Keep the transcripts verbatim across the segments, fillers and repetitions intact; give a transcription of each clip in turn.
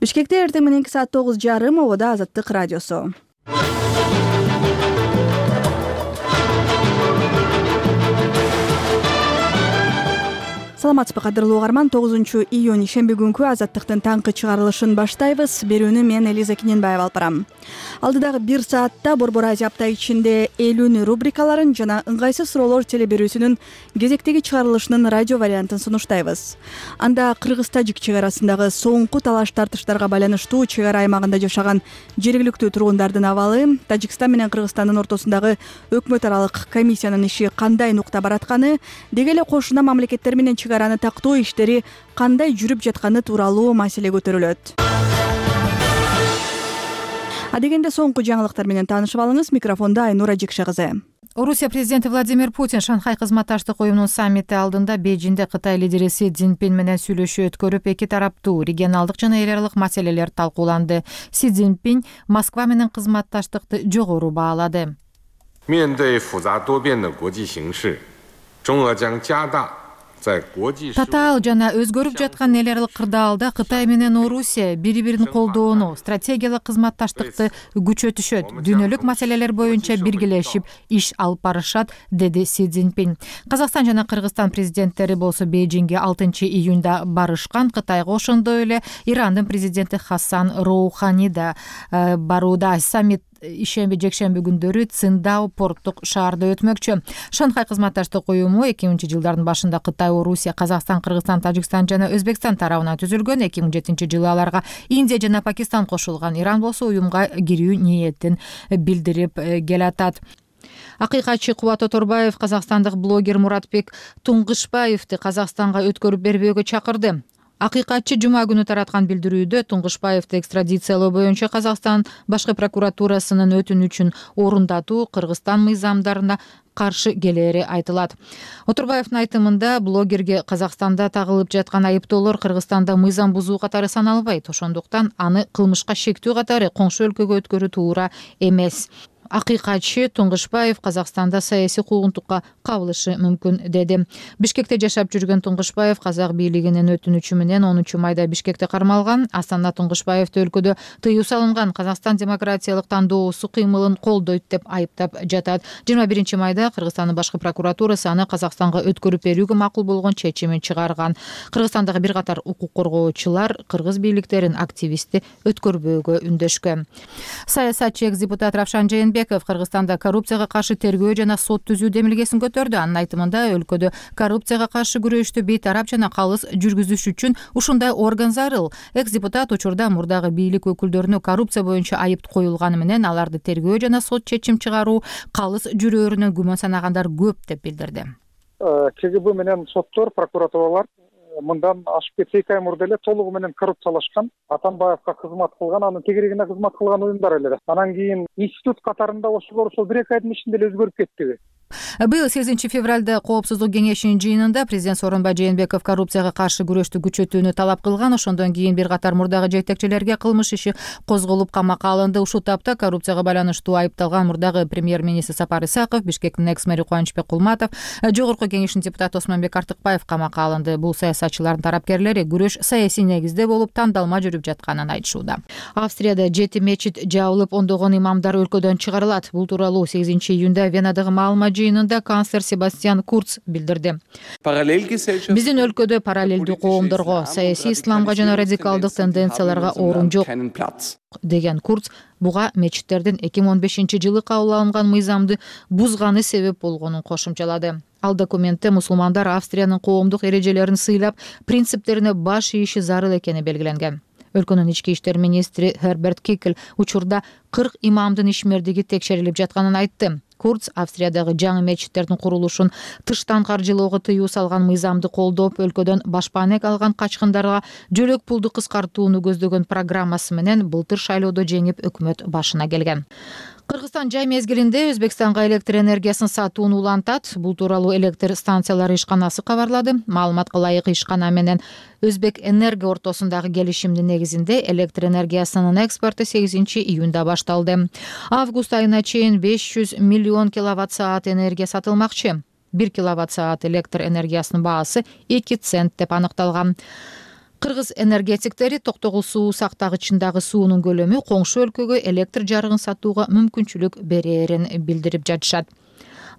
Бишкекте эртең мененки саат тогуз жарым обода Азаттык радиосу. Саламатсызбы кадырлуу угарман, тогузунчу июнь шемби күнкү Азаттыктын таңкы чыгарылышын баштайбыз. Берүүнү мен Элиза Кененбаева алып барам. Алдыдагы бир саатта Борбор Азия апта ичинде элүүнү рубрикаларын жана ыңгайсыз суроолор телеберүүсүнүн кезектеги чыгарылышынын радио вариантын сунуштайбыз. Анда Кыргыз-Тажик чек арасындагы соңку талаш тартыштарга байланыштуу чек ара аймагында жашаган жергиликтүү тургундардын абалы, Тажикстан менен Кыргызстандын ортосундагы өкмөт аралык комиссиянын иши кандай нукта баратканы, деги эле кошуна мамлекеттер менен чек араны тактоо иштери кандай жүрүп жатканы тууралуу маселе көтөрүлөт. Адегенде соңку жаңылыктар менен таанышып алыңыз. Микрофонда Айнура Жекше кызы. Орусия президенти Владимир Путин Шанхай кызматташтык уюмунун саммити алдында Бейжиңде Кытай лидери Си Цзиньпин менен сүйлөшүү өткөрүп, эки тараптуу регионалдык жана эл аралык маселелер талкууланды. Си Цзиньпин Москва менен кызматташтыкты жогору баалады. 面对复杂多变的国际形势，中俄将加大 Татаал жана өзгөрүп жаткан эл аралык кырдаалда Кытай менен Орусия бири-бирин колдоону, стратегиялык кызматташтыкты күчөтүшөт, дүйнөлүк маселелер боюнча биргелешип иш алып барышат, деди Си Цзиньпин. Казакстан жана Кыргызстан президенттери болсо Бейжиңге алтынчы июнда барышкан. Кытайга ошондой эле Ирандын президенти Хасан Роухани да барууда. Саммит ишемби жекшемби күндөрү Циндао порттук шаарда өтмөкчү. Шанхай кызматташтык уюму эки миңинчи жылдардын башында Кытай, Орусия, Казакстан, Кыргызстан, Тажикстан жана Өзбекстан тарабынан түзүлгөн. эки миң жетинчи жылы аларга Индия жана Пакистан кошулган. Иран болсо уюмга кирүү ниетин билдирип келатат. Акыйкатчы Кубат Оторбаев казакстандык блогер Муратбек Туңгышбаевди Казакстанга өткөрүп бербөөгө чакырды. Акыйкатчы жума күнү тараткан билдирүүдө Туңгышбаевди экстрадициялоо боюнча Казакстан башкы прокуратурасынын өтүнүчүн орундатуу Кыргызстан мыйзамдарына каршы келери айтылат. Оторбаевдин айтымында блогерге Казакстанда тагылып жаткан айыптоолор Кыргызстанда мыйзам бузуу катары саналбайт. Ошондуктан аны кылмышка шектүү катары коңшу өлкөгө өткөрүү туура эмес. Акыйкатчы Туңгышбаев Казакстанда саясий куугунтукка кабылышы мүмкүн, деди. Бишкекте жашап жүргөн Туңгышбаев казак бийлигинин өтүнүчү менен онунчу майда Бишкекте кармалган. Астана Туңгышбаевди өлкөдө тыюу салынган Казакстан демократиялык тандоосу кыймылын колдойт деп айыптап жатат. жыйырма биринчи майда Кыргызстандын башкы прокуратурасы аны Казакстанга өткөрүп берүүгө макул болгон чечимин чыгарган. Кыргызстандагы бир катар укук коргоочулар кыргыз бийликтерин активистти өткөрбөөгө үндөшкөн. Саясатчы экс-депутат Равшан Жээнбеков Кыргызстанда коррупцияга каршы тергөө жана сот түзүү демилгесин көтөрдү. Анын айтымында өлкөдө коррупцияга каршы күрөштү бейтарап жана калыс жүргүзүш үчүн ушундай орган зарыл. Экс-депутат учурда мурдагы бийлик өкүлдөрүнө коррупция боюнча айып коюлганы менен аларды тергөө жана сот чечим чыгаруу калыс жүрөөрүнөн күмөн санагандар көп деп билдирди. КГБ менен соттор, прокуратуралар мындан ашып кетсе эки ай мурда эле толугу менен коррупциялашкан, Атамбаевга кызмат кылган, анын тегерегине кызмат кылган уюмдар эле. Анан кийин институт катарында ошолор ошол бир эки айдын ичинде эле өзгөрүп кеттиби. Быйыл сегизинчи февралда Коопсуздук кеңешинин жыйынында президент Сооронбай Жээнбеков коррупцияга каршы күрөштү күчөтүүнү талап кылган. Ошондон кийин бир катар мурдагы жетекчилерге кылмыш иши козголуп камакка алынды. Ушул тапта коррупцияга байланыштуу айыпталган мурдагы премьер-министр Сапар Исаков, Бишкектин экс-мэри Кубанычбек Кулматов, Жогорку кеңештин депутаты Осмонбек Артыкбаев камакка алынды. Бул саясатчылардын тарапкерлери күрөш саясий негизде болуп тандалма жүрүп жатканын айтышууда. Австрияда жети мечит жабылып, ондогон имамдар өлкөдөн чыгарылат. Бул тууралуу сегизинчи июнда Венадагы маалымат жыйынында канцлер Себастьян Курц билдирди. Биздин өлкөдө параллелдүү коомдорго, саясий исламга жана радикалдык тенденцияларга орун жок, деген Курц буга мечиттердин эки миң он бешинчи жылы кабыл алынган мыйзамды бузганы себеп болгонун кошумчалады. Ал документте мусулмандар Австриянын коомдук эрежелерин сыйлап, принциптерине баш ийиши зарыл экени белгиленген. Өлкөнүн ички иштер министри Херберт Кикл учурда кырк имамдын ишмердиги текшерилип жатканын айтты. Курц Австриядагы жаңы мечиттердин курулушун тыштан каржылоого тыюу салган мыйзамды колдоп, өлкөдөн башпаанек алган качкындарга жөлөк пулду кыскартууну көздөгөн программасы менен былтыр шайлоодо жеңип өкмөт башына келген. Кыргызстан жай мезгилинде Өзбекстанга электр энергиясын сатууну улантат. Бул тууралуу электр станциялары ишканасы кабарлады. Маалыматка ылайык ишкана менен Өзбек Энерго ортосундагы келишимдин негизинде электр энергиясынын экспорту сегизинчи июнда башталды. Август айына чейин беш жүз миллион киловатт саат энергия сатылмакчы. бир киловатт саат электр энергиясынын баасы эки цент деп аныкталган. Кыргыз энергетиктери Токтогул суу сактагычындагы суунун көлөмү коңшу өлкөгө электр жарыгын сатууга мүмкүнчүлүк берерин билдирип жатышат.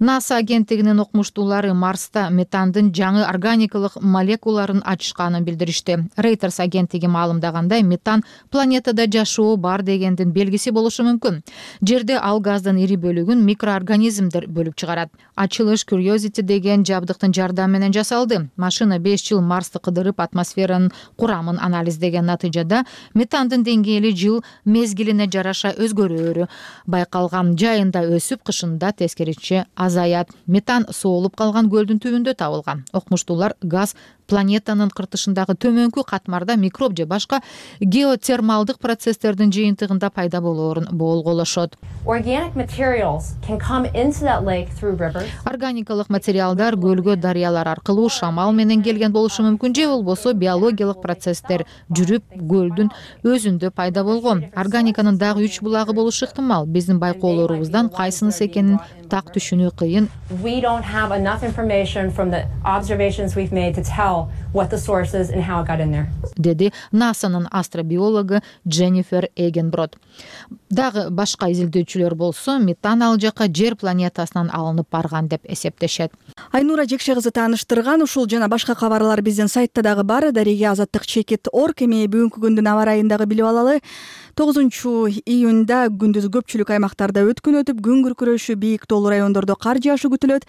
НАСА агенттигинин окумуштуулары Марста метандын жаңы органикалык молекулаларын ачышканын билдиришти. Reuters агенттиги маалымдагандай, метан планетада жашоо бар дегендин белгиси болушу мүмкүн. Жерде ал газдын ири бөлүгүн микроорганизмдер бөлүп чыгарат. Ачылыш Curiosity деген жабдыктын жардамы менен жасалды. Машина беш жыл Марсты кыдырып, атмосферанын курамын анализдеген натыйжада метандын деңгээли жыл мезгилине жараша өзгөрөөрү байкалган. Жайында өсүп, кышында тескерисинче азаят. Метан соолуп калган көлдүн түбүндө табылган. Окумуштуулар газ планетанын кыртышындагы төмөнкү катмарда микроб же башка геотермалдык процесстердин жыйынтыгында пайда болоорун болголошот. Органикалык материалдар көлгө дарыялар аркылуу шамал менен келген болушу мүмкүн, же болбосо биологиялык процесстер жүрүп көлдүн өзүндө пайда болгон. Органиканын дагы үч булагы болушу ыктымал. Биздин байкоолорубуздан кайсынысы экенин так түшүнүү кыйын. What the source is and how it got in there. Деди НАСАнын астробиологу Дженнифер Эгенброд. Дагы башка изилдөөчүлөр болсо, метан ал жака жер планетасынан алынып барган деп эсептешет. Айнура Жекше кызы тааныштырган. Ушул жана башка кабарлар биздин сайтта дагы бар. Дареге азаттык чекит орг. Эми бүгүнкү күндүн аба ырайын дагы билип алалы. тогузунчу июнда күндүз көпчүлүк аймактарда өткүн өтүп, күн күркүрөшү, бийик тоолуу райондордо кар жаашы күтүлөт.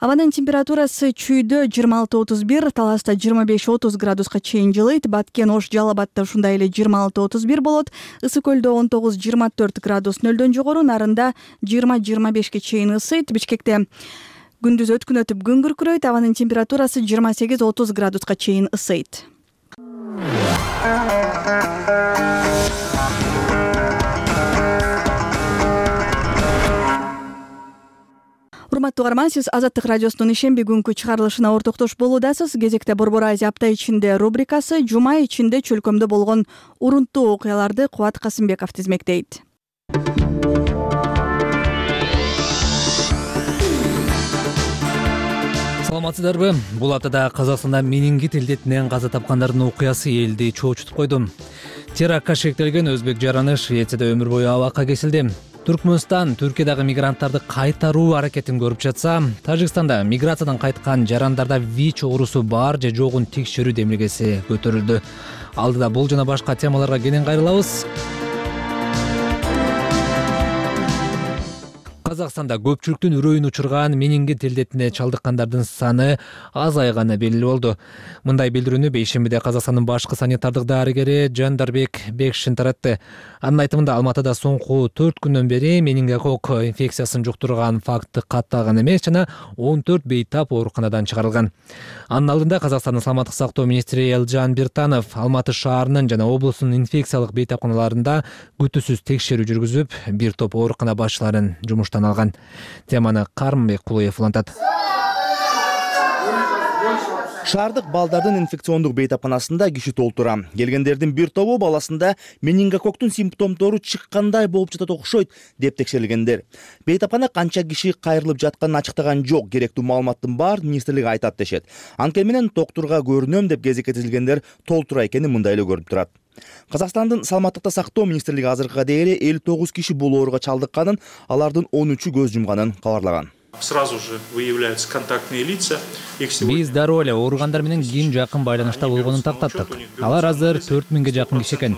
Абанын температурасы Чүйдө жыйырма алты отуз бир, Таласта жыйырма беш отуз градуска чейин жылыйт. Баткен, Ош, Жалал Абадта ушундай эле жыйырма алты отуз бир болот. Ысык көлдө он тогуз жыйырма төрт градус нөлдөн жогору, Нарында жыйырма жыйырма бешке чейин ысыйт. Бишкекте күндүз өткүн өтүп, күн күркүрөйт. Абанын температурасы жыйырма сегиз отуз градуска чейин ысыйт. Урматтуу угарман, сиз Азаттык радиосунун ишемби күнкү чыгарылышына ортоктош болуудасыз. Кезекте Борбор Азия апта ичинде рубрикасы жума ичинде чөлкөмдө болгон урунттуу окуяларды Кубат Касымбеков тизмектейт. Саламатсыздарбы? Бул аптада Казакстанда менингит илдетинен каза тапкандардын окуясы элди чоочутуп койду. Терактка шектелген өзбек жараны Швецияда өмүр бою абакка кесилди. Түркмөнстан Түркиядагы мигранттарды кайтаруу аракетин көрүп жатса, Тажикстанда миграциядан кайткан жарандарда ВИЧ оорусу бар же жогун текшерүү демилгеси көтөрүлдү. Алдыда бул жана башка темаларга кенен кайрылабыз. Казакстанда көпчүлүктүн үрөйүн учурган менингит илдетине чалдыккандардын саны азайганы белгилүү болду. Мындай билдирүүнү бейшембиде Казакстандын башкы санитардык дарыгери Жандарбек Бекшин таратты. Анын айтымында Алматыда соңку төрт күндөн бери менингокок инфекциясын жуктурган факты катталган эмес жана он төрт бейтап ооруканадан чыгарылган. Анын алдында Казакстандын саламаттык сактоо министри Элжан Биртанов Алматы шаарынын жана облустун инфекциялык бейтапканаларында күтүүсүз текшерүү жүргүзүп, бир топ оорукана башчыларын жумуштан алган. Теманы Карымбек Кулуев улантат. Шаардык балдардын инфекциондук бейтапканасында киши толтура. Келгендердин бир тобу баласында менингококтун симптомдору чыккандай болуп жатат окшойт деп текшерилгендер. Бейтапкана канча киши кайрылып жатканын ачыктаган жок, керектүү маалыматтын бар министрлиги айтат дешет. Анткени менен доктурга көрүнөм деп кезекке тизилгендер толтура экени мындай эле көрүнүп турат. Казакстандын саламаттыкта сактоо министрлиги азыркыга дейин элүү тогуз киши бул ооруга чалдыкканын, алардын он үчү көз жумганын кабарлаган. Сразу же выявляются контактные лица. Биз дароо эле ооругандар менен ким жакын байланышта болгонун тактаттык. Алар азыр төрт миңге жакын киши экен.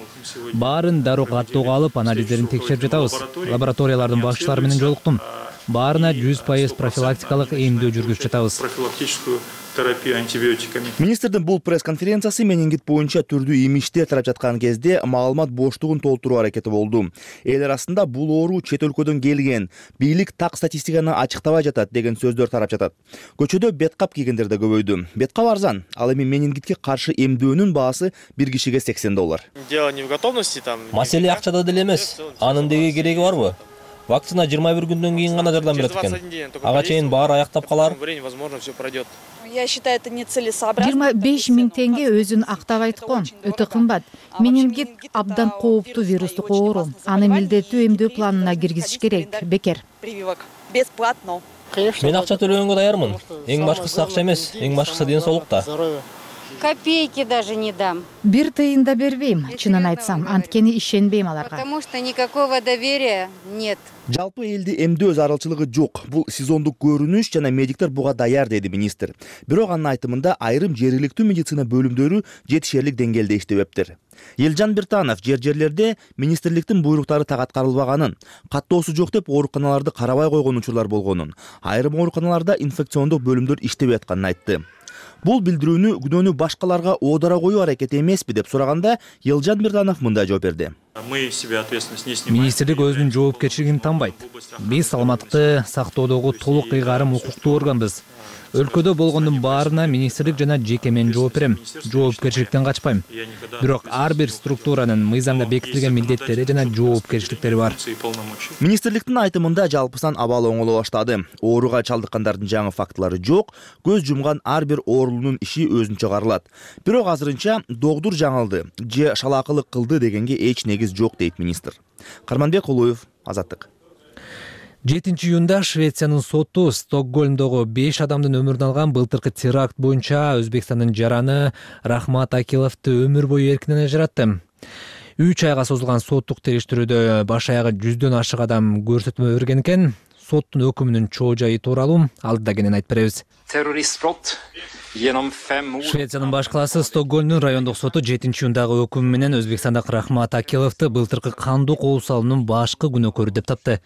Баарын дароо каттоого алып, анализдерин текшерип жатабыз. Лабораториялардын башчылары менен жолуктум. Баарына жүз пайыз профилактикалык эмдөө жүргүзүп жатабыз. Профилактическую терапию антибиотиками. Министрдин бул пресс-конференциясы менингит боюнча түрдүү имиштер тарап жаткан кезде маалымат боштугун толтуруу аракети болду. Эл арасында бул оору чет өлкөдөн келген, бийлик так статистиканы ачыктабай жатат деген сөздөр тарап жатат. Көчөдө беткап кийгендер да көбөйдү. Беткап арзан, ал эми менингитке каршы эмдөөнүн баасы бир кишиге сексен доллар. Дело не в готовности там. Маселе акчада деле эмес. Анын деги кереги барбы? Вакцина жыйырма бир күндөн кийин гана жардам берет экен. Ага чейин баары аяктап калар. Я считаю, это нецелесообразно. жыйырма беш миң теңге өзүн актап айткан. Өтө кымбат. Менингит абдан кооптуу вирустук оору. Аны милдеттүү эмдөө планына киргизиш керек. Бекер. Прививок бесплатно. Мен акча төлөгөнгө даярмын. Эң башкысы акча эмес, эң башкысы ден соолукта. Копейки даже не дам. Бир тыйын да бербейм, чынын айтсам, анткени ишенбейм аларга. Потому что никакого доверия нет. Жалпы элди эмдөө зарылчылыгы жок. Бул сезондук көрүнүш жана медиктер буга даяр, деди министр. Бирок анын айтымында айрым жергиликтүү медицина бөлүмдөрү жетишерлик деңгээлде иштебептир. Элжан Биртанов жер жерлерде министрликтин буйруктары так аткарылбаганын, каттоосу жок деп ооруканаларды карабай койгон учурлар болгонун, айрым ооруканаларда инфекциондук бөлүмдөр иштебей атканын айтты. Бул билдирүүнү күнөөнү башкаларга оодара коюу аракети эмеспи деп сураганда Элжан Биртанов мындай жооп берди. Министрлик өзүнүн жоопкерчилигин танбайт. Биз саламаттыкты сактоодогу толук ыйгарым укуктуу органбыз. Өлкөдө болгондун баарына министрлик жана жеке мен жооп берем. Жоопкерчиликтен качпайм. Бирок ар бир структуранын мыйзамда бекитилген милдеттери жана жоопкерчиликтери бар. Министрликтин айтымында жалпысынан абал оңоло баштады. Ооруга чалдыккандардын жаңы фактылары жок, көз жумган ар бир оорулуунун иши өзүнчө каралат. Бирок азырынча догдур жаңылды же шалаакылык кылды дегенге эч негиз жок, дейт министр. Карманбек Улуев, Азаттык. жетинчи июнда Швециянын соту Стокгольмдогу беш адамдын өмүрүн алган былтыркы теракт боюнча Өзбекстандын жараны Рахмат Акиловду өмүр бою эркинен ажыратты. үч айга созулган соттук териштирүүдө баш аягы жүздөн ашык адам көрсөтмө берген экен. Соттун өкүмүнүн чоо жайы тууралуу алдыда кенен айтып беребиз. Швециянын баш калаасы Стокгольмдун райондук соту жетинчи июндагы өкүмү менен Өзбекстандагы Рахмат Акиловду былтыркы кандуу кол салуунун башкы күнөөкөрү деп тапты.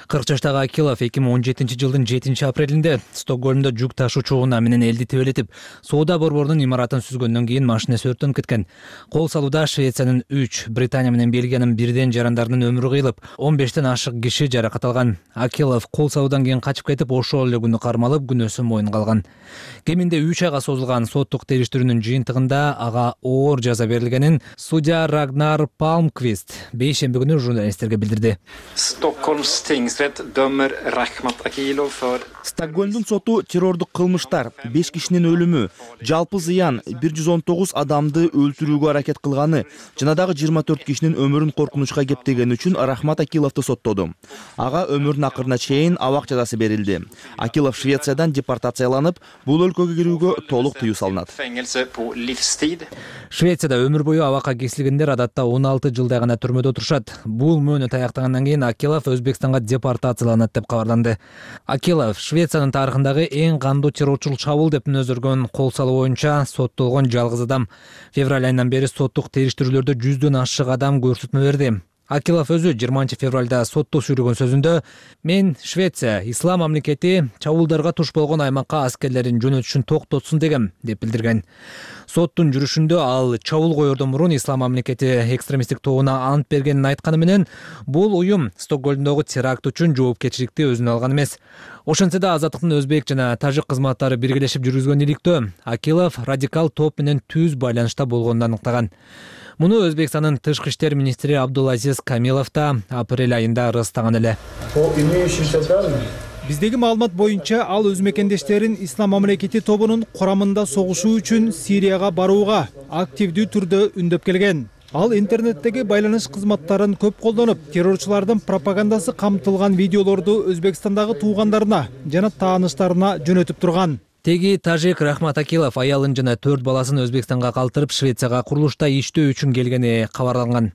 кырк жаштагы Акилов эки миң он жетинчи жылдын жетинчи апрелинде Стокгольмдо жүк ташуучу унаа менен элди тебелетип, соода борборунун имаратын сүзгөндөн кийин машинеси өрттөнүп кеткен. Кол салууда Швециянын үч, Британия менен Бельгиянын бирден жарандарынын өмүрү кыйылып, он бештен ашык киши жаракат алган. Акилов кол салуудан кийин качып кетип, ошол эле күнү кармалып, күнөөсүн мойнунга алган. Кеминде үч айга созулган соттук териштирүүнүн жыйынтыгында ага оор жаза берилгенин судья Рагнар Палмквист бейшемби күнү журналисттерге билдирди. Стокгольмдун соту террордук кылмыштар, беш кишинин өлүмү, жалпы зыян бир жүз он тогуз адамды өлтүрүүгө аракет кылганы жана дагы жыйырма төрт кишинин өмүрүн коркунучка кептегени үчүн Рахмат Акиловду соттоду. Ага өмүрүнүн акырына чейин абак жазасы берилди. Акилов Швециядан депортацияланып, бул өлкөгө кирүүгө толук тыюу салынат. Швецияда өмүр бою абакка кесилгендер адатта он алты жылдай гана түрмөдө отурушат. Бул мөөнөт аяктагандан кийин Акилов Өзбекстанга депортацияланат деп кабарланды. Акилов Швециянын тарыхындагы эң кандуу террорчул чабуул деп мүнөздөргөн кол салуу боюнча соттолгон жалгыз адам. Февраль айынан бери соттук териштирүүлөрдө жүздөн ашык адам көрсөтмө берди. Акилов өзү жыйырманчы февралда сотто сүйлөгөн сөзүндө «Мен Швеция, ислам мамлекети чабуулдарга туш болгон аймакка аскерлерин жөнөтүшүн токтотсун дегем» деп билдирген. Соттун жүрүшүндө ал чабуул коердон мурун ислам мамлекети экстремисттик тобуна ант бергенин айтканы менен, бул уюм Стокгольмдогу теракт үчүн жоопкерчиликти өзүнө алган эмес. Ошентсе да Азаттыктын өзбек жана тажик кызматтары биргелешип жүргүзгөн иликтөө Акилов радикал топ менен түз байланышта болгонун аныктаган. Муну Өзбекстандын тышкы иштер министри Абдулазиз Камилов да апрель айында ырастаган эле. Биздеги маалымат боюнча ал өз мекендештерин ислам мамлекети тобунун курамында согушуу үчүн Сирияга барууга активдүү түрдө үндөп келген. Ал интернеттеги байланыш кызматтарын көп колдонуп, террорчулардын пропагандасы камтылган видеолорду Өзбекстандагы туугандарына жана тааныштарына жөнөтүп турган. Теги тажик Рахмат Акилов аялын жана төрт баласын Өзбекстанга калтырып Швецияга курулушта иштөө үчүн келгени кабарланган.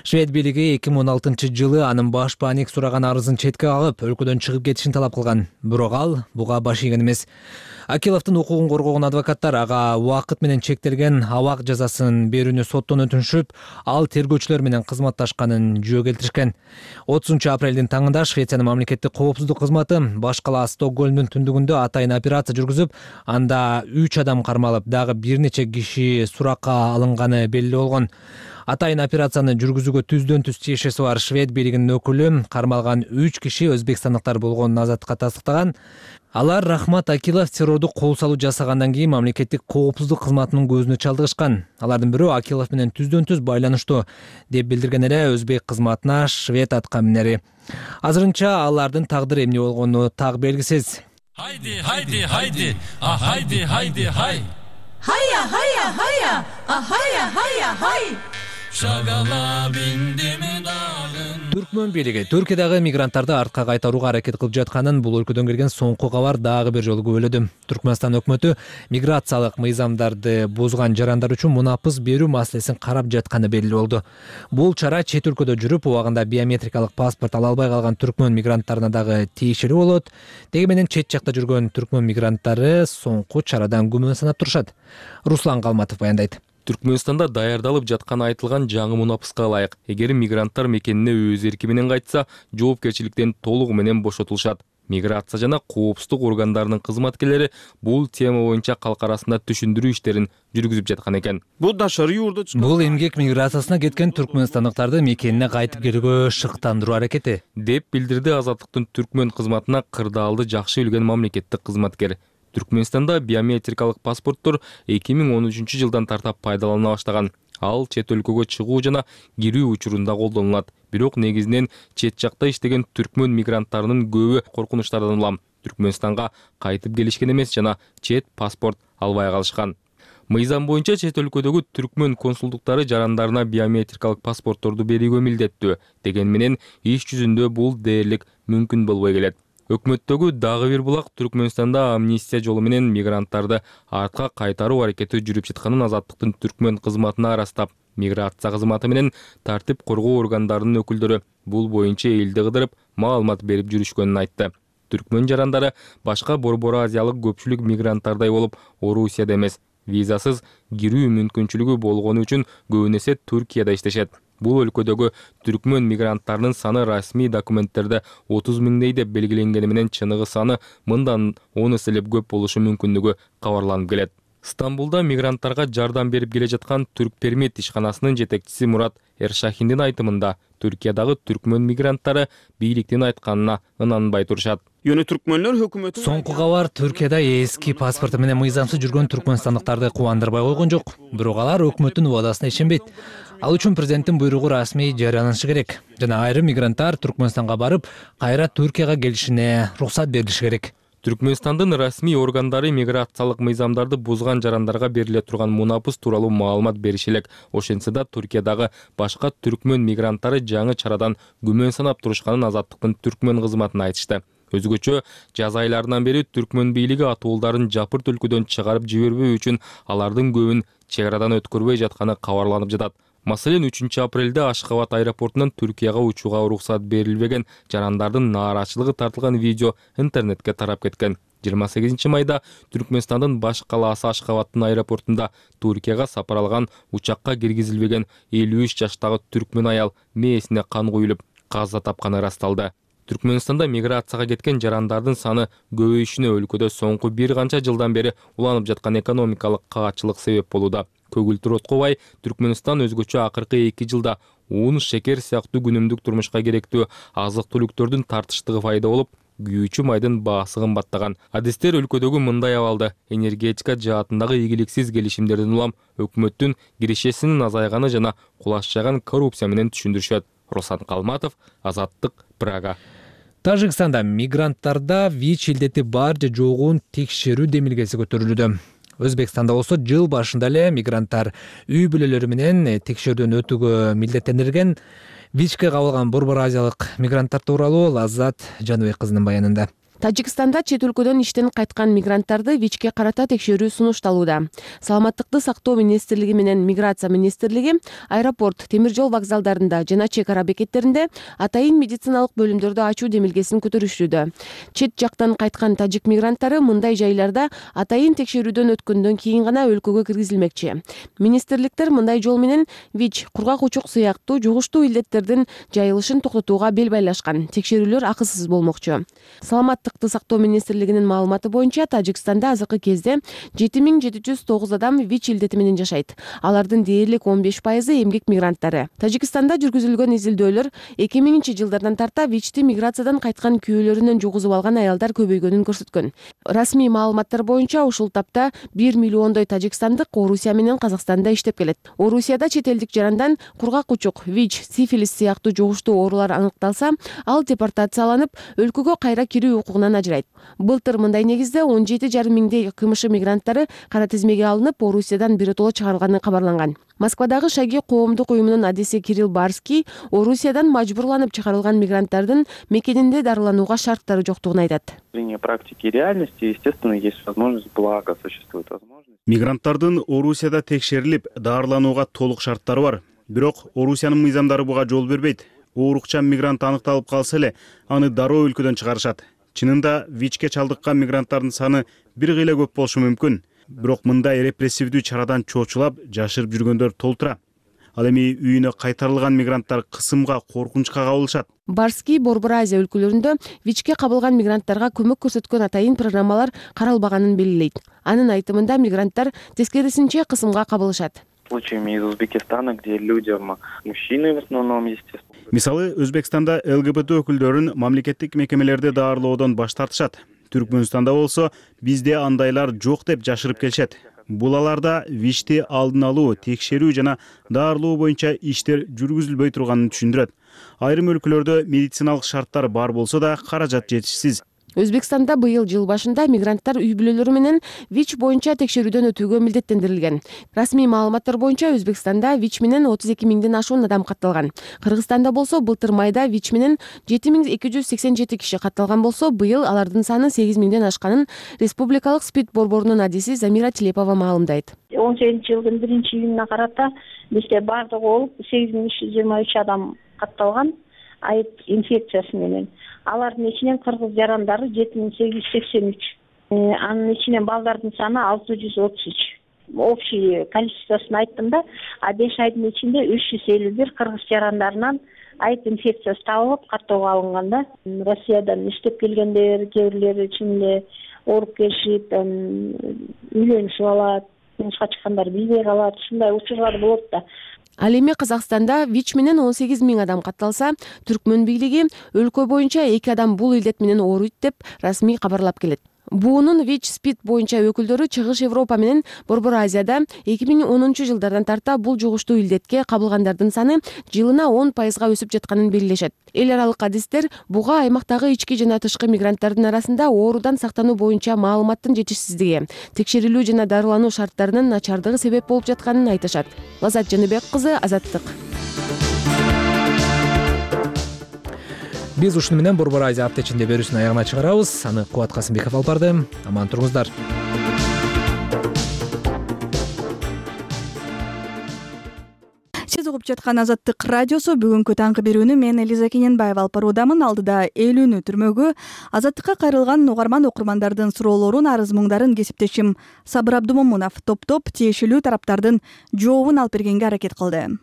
Швед бийлиги эки миң он алтынчы жылы анын баш бааник сураган арызын четке кагып, өлкөдөн чыгып кетишин талап кылган. Бирок ал буга баш ийген эмес. Акиловдун укугун коргогон адвокаттар ага убакыт менен чектелген абак жазасын берүүнү соттон өтүнүшүп, ал тергөөчүлөр менен кызматташканын жөө келтиришкен. отузунчу апрелдин таңында Швециянын мамлекеттик коопсуздук кызматы баш кала Стокгольмдун түндүгүндө атайын операция жүргүзүп, анда үч адам кармалып, дагы бир нече киши суракка алынганы белгилүү болгон. Атайын операцияны жүргүзүүгө түздөн түз тиешеси бар Швед бийлигинин өкүлү кармалган үч киши өзбекстандыктар болгонун Азаттыкка тастыктаган. Алар Рахмат Акилов террордук кол салуу жасагандан кийин мамлекеттик коопсуздук кызматынын көзүнө чалдыгышкан. Алардын бирөө Акилов менен түздөн түз байланыштуу деп билдирген эле өзбек кызматына Швед аткан минери. Азырынча алардын тагдыры эмне болгону так белгисиз. Хайди, хайди, хайди, а хайди, хайди, хай. Хая, хая, хая, а хая, хая, хай. Шагала биндими дагын. Түркмөн бийлиги Түркиядагы мигранттарды артка кайтарууга аракет кылып жатканын бул өлкөдөн келген соңку кабар дагы бир жолу күбөлөдү. Түркмөнстан өкмөтү миграциялык мыйзамдарды бузган жарандар үчүн мунапыс берүү маселесин карап жатканы белгилүү болду. Бул чара чет өлкөдө жүрүп, убагында биометрикалык паспорт ала албай калган түркмөн мигранттарына дагы тийишелүү болот. Деги менен чет жакта жүргөн түркмөн мигранттары соңку чарадан күмөн санап турушат. Руслан Калматов баяндайт. Түркмөнстанда даярдалып жатканы айтылган жаңы мунапыска ылайык, эгер мигранттар мекенине өз эрки менен кайтса, жоопкерчиликтен толугу менен бошотулушат. Миграция жана коопсуздук органдарынын кызматкерлери бул тема боюнча калк арасында түшүндүрүү иштерин жүргүзүп жаткан экен. Бул эмгек миграциясына кеткен түркмөнстандыктарды мекенине кайтып келүүгө шыктандыруу аракети, деп билдирди Азаттыктын түркмөн кызматына кырдаалды жакшы билген мамлекеттик кызматкер. Түркмөнстанда биометрикалык паспорттор эки миң он үчүнчү жылдан тартап пайдалана баштаган. Ал чет өлкөгө чыгуу жана кирүү учурунда колдонулат. Бирок негизинен чет жакта иштеген түркмөн мигранттарынын көбү коркунучтардан улам Түркмөнстанга кайтып келишкен эмес жана чет паспорт албай калышкан. Мыйзам боюнча чет өлкөдөгү түркмөн консулдуктары жарандарына биометрикалык паспортторду берүүгө милдеттүү. Деген менен иш жүзүндө бул дээрлик мүмкүн болбой келет. Өкмөттөгү дагы бир булак Түркмөнстанда амнистия жолу менен мигранттарды артка кайтаруу аракети жүрүп жатканын Азаттыктын түркмөн кызматына арастап, миграция кызматы менен тартип коргоо органдарынын өкүлдөрү бул боюнча элди кыдырып маалымат берип жүрүшкөнүн айтты. Түркмөн жарандары башка борбор азиялык көпчүлүк мигранттардай болуп, Орусияда эмес, визасыз кирүү мүмкүнчүлүгү болгону үчүн көбүн эсе Түркияда иштешет. Бул өлкөдөгү түркмөн мигранттарынын саны расмий документтерде отуз миңдей деп белгиленгени менен чыныгы саны мындан он эселеп көп болушу мүмкүнлүгү кабарланып келет. Стамбулда мигранттарга жардам берип келе жаткан Түркпермит ишканасынын жетекчиси Мурат Эршахиндин айтымында, Түркиядагы түркмөн мигранттары бийликтин айтканына ынанбай турушат. Соңку кабар Түркияда эски паспорту менен мыйзамсыз жүргөн түркмөнстандыктарды кубандырбай койгон жок. Бирок алар өкмөттүн убадасына ишенбейт. Ал үчүн президенттин буйругу расмий жарыянанышы керек. Жана айрым мигранттар Түркмөнстанга барып, кайра Түркияга келишине уруксат берилиши керек. Түркмөнстандын расмий органдары миграциялык мыйзамдарды бузган жарандарга бериле турган мунапыс тууралуу маалымат бериши элек. Ошентсе да Түркиядагы башка түркмөн мигранттары жаңы чарадан күмөн санап турушканын Азаттыктын түркмөн кызматына айтышты. Өзгөчө жаз айларынан бери түркмөн бийлиги атуулдарын жапырт өлкөдөн чыгарып жибербөө үчүн алардын көбүн чек арадан өткөрбөй жатканы кабарланып жатат. Маселен, үчүнчү апрелде Ашхабад аэропортунан Түркияга учууга уруксат берилбеген жарандардын нааразычылыгы тартылган видео интернетке тарап кеткен. жыйырма сегизинчи майда Түркмөнстандын баш калаасы Ашхабадтын аэропортунда Түркияга сапар алган учакка киргизилбеген элүү үч жаштагы түркмөн аял мээсине кан куюлуп каза тапканы ырасталды. Түркмөнстанда миграцияга кеткен жарандардын саны көбөйүшүнө өлкөдө соңку бир канча жылдан бери уланып жаткан экономикалык каатчылык себеп болууда. Көгүлтүр Откобай, Түркмөнстан өзгөчө акыркы эки жылда un, шекер сыяктуу күнүмдүк турмушка керектүү азык-түлүктөрдүн тартыштыгы пайда болуп, күйүүчү майдын баасы кымбаттаган. Адистер өлкөдөгү мындай абалды энергетика жаатындагы ийгиликсиз келишимдерден улам өкмөттүн кирешесинин азайганы жана кулашчаган коррупция менен түшүндүрүшөт. Руслан Калматов, Азаттык, Прага. Тажикстанда мигранттарда ВИЧ илдети бар же жогун текшерүү демилгеси көтөрүлүүдө. Өзбекстанда болсо жыл башында эле мигранттар үй бүлөлөрү менен текшерүүдөн өтүүгө милдеттендирилген. ВИЧке кабылган борбор азиялык мигранттар тууралуу Лаззат Жаныбек кызынын баянында. Тажикстанда чет өлкөдөн иштен кайткан мигранттарды ВИЧке карата текшерүү сунушталууда. Саламаттыкты сактоо министрлиги менен миграция министрлиги аэропорт, темир жол вокзалдарында жана чек ара бекеттеринде атайын медициналык бөлүмдөрдү ачуу демилгесин көтөрүшүүдө. Чет жактан кайткан тажик мигранттары мындай жайларда атайын текшерүүдөн өткөндөн кийин гана өлкөгө киргизилмекчи. Министрликтер мындай жол менен ВИЧ, кургак учук сыяктуу жугуштуу илдеттердин жайылышын токтотууга бел байлашкан. Текшерүүлөр акысыз болмокчу. Саламаттык сактоо министрлигинин маалыматы боюнча Тажикстанда азыркы кезде жети миң жети жүз тогуз адам ВИЧ илдети менен жашайт. Алардын дээрлик он беш пайызы эмгек мигранттары. Тажикстанда жүргүзүлгөн изилдөөлөр эки миңинчи жылдардан тарта ВИЧти миграциядан кайткан күйөөлөрүнөн жугузуп алган аялдар көбөйгөнүн көрсөткөн. Расмий маалыматтар боюнча ушул тапта бир миллиондой тажикстандык Орусия менен Казакстанда иштеп келет. Орусияда чет элдик жарандан кургак учук, ВИЧ, сифилис сыяктуу жугуштуу оорулар аныкталса, ал депортацияланып, өлкөгө кайра кирүү укугун коомчулугунан ажырайт. Былтыр мындай негизде он жети жарым миңдей КМШ мигранттары кара тизмеге алынып, Орусиядан биротоло чыгарылганы кабарланган. Москвадагы Шаги коомдук уюмунун адиси Кирилл Барский Орусиядан мажбурланып чыгарылган мигранттардын мекенинде дарыланууга шарттары жоктугун айтат. Практики и реальности, естественно, есть возможность, благо существует возможность. Мигранттардын Орусияда текшерилип, дарыланууга толук шарттары бар. Бирок Орусиянын мыйзамдары буга жол бербейт. Оорукчан мигрант аныкталып калса эле, аны дароо өлкөдөн чыгарышат. Чынында ВИЧке чалдыккан мигранттардын саны бир кыйла көп болушу мүмкүн. Бирок мындай репрессивдүү чарадан чоочулап, жашырып жүргөндөр толтура. Ал эми үйүнө кайтарылган мигранттар кысымга, коркунучка кабылышат. Барский Борбор Азия өлкөлөрүндө ВИЧке кабылган мигранттарга көмөк көрсөткөн атайын программалар каралбаганын белгилейт. Анын айтымында мигранттар тескерисинче кысымга кабылышат. Случаями из Узбекистана, где людям, мужчины в основном, естественно. Мисалы, Өзбекстанда ЛГБТ өкүлдөрүн мамлекеттик мекемелерде даарылоодон баш тартышат. Түркмөнстанда болсо бизде андайлар жок деп жашырып келишет. Бул аларда ВИЧти алдын алуу, текшерүү жана даарылоо боюнча иштер жүргүзүлбөй турганын түшүндүрөт. Айрым өлкөлөрдө медициналык шарттар бар болсо да каражат жетишсиз. Өзбекстанда быйыл жыл башында мигранттар үй бүлөлөрү менен ВИЧ боюнча текшерүүдөн өтүүгө милдеттендирилген. Расмий маалыматтар боюнча Өзбекстанда ВИЧ менен отуз эки миңден ашуун адам катталган. Кыргызстанда болсо былтыр майда ВИЧ менен жети миң эки жүз сексен жети киши катталган болсо, быйыл алардын саны сегиз миңден ашканын Республикалык СПИД борборунун адиси Замира Тилепова маалымдайт. он сегизинчи жылдын биринчи июнуна карата бизде бардыгы болуп сегиз миң үч жүз жыйырма үч адам катталган айд инфекциясы менен. Алардын ичинен кыргыз жарандары жети миң сегиз жүз сексен үч. Анын ичинен балдардын саны алты жүз отуз үч. Общий количествосын айттым да, а беш айдын ичинде үч жүз элүү бир кыргыз жарандарынан айд инфекциясы табылып каттоого алынган да. Россиядан иштеп келгендер, кээ бирлери ичинде ооруп келишип, үйлөнүшүп алат, турмушка чыккандар билбей калат. Ушундай учурлар болот да. Ал эми Казакстанда ВИЧ менен он сегиз миң адам катталса, Түркмөн бийлиги өлкө боюнча эки адам бул илдет менен ооруйт деп расмий кабарлап келет. Буунун ВИЧ СПИД боюнча өкүлдөрү Чыгыш Европа менен Борбор Азияда эки миң онунчу жылдардан тарта бул жугуштуу илдетке кабылгандардын саны жылына он пайызга өсүп жатканын белгилешет. Эл аралык адистер буга аймактагы ички жана тышкы мигранттардын арасында оорудан сактануу боюнча маалыматтын жетишсиздиги, текшерилүү жана дарылануу шарттарынын начардыгы себеп болуп жатканын айтышат. Лазат Жаныбек кызы, Азаттык. Биз ушуну менен Борбор Азия апта ичинде берүүсүнүн аягына чыгарабыз. Аны Кубат Касымбеков алып барды. Аман туруңуздар. Сиз угуп жаткан Азаттык радиосу бүгүнкү таңкы берүүнү мен Элиза Кененбаева алып баруудамын. Алдыда элүүнү түрмөгү азаттыкка кайрылган угарман окурмандардын суроолорун, арыз муңдарын кесиптешим Сабыр Абдумомунов топтоп тиешелүү тараптардын жообун алып бергенге аракет кылды.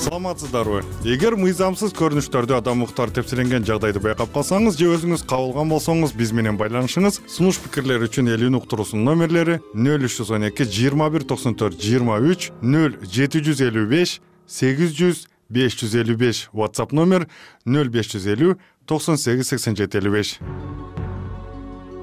Саламатсыздарбы? Эгер мыйзамсыз көрүнүштөрдө адам укуктары тепселенген жагдайды байкап калсаңыз же өзүңүз кабылган болсоңуз, биз менен байланышыңыз. Сунуш пикирлер үчүн элүүнү уктуруусунун номерлери нөл үч жүз он эки жыйырма бир токсон төрт жыйырма үч, нөл жети жүз элүү беш сегиз жүз беш жүз элүү беш, WhatsApp номер нөл беш жүз элүү токсон сегиз сексен жети элүү беш.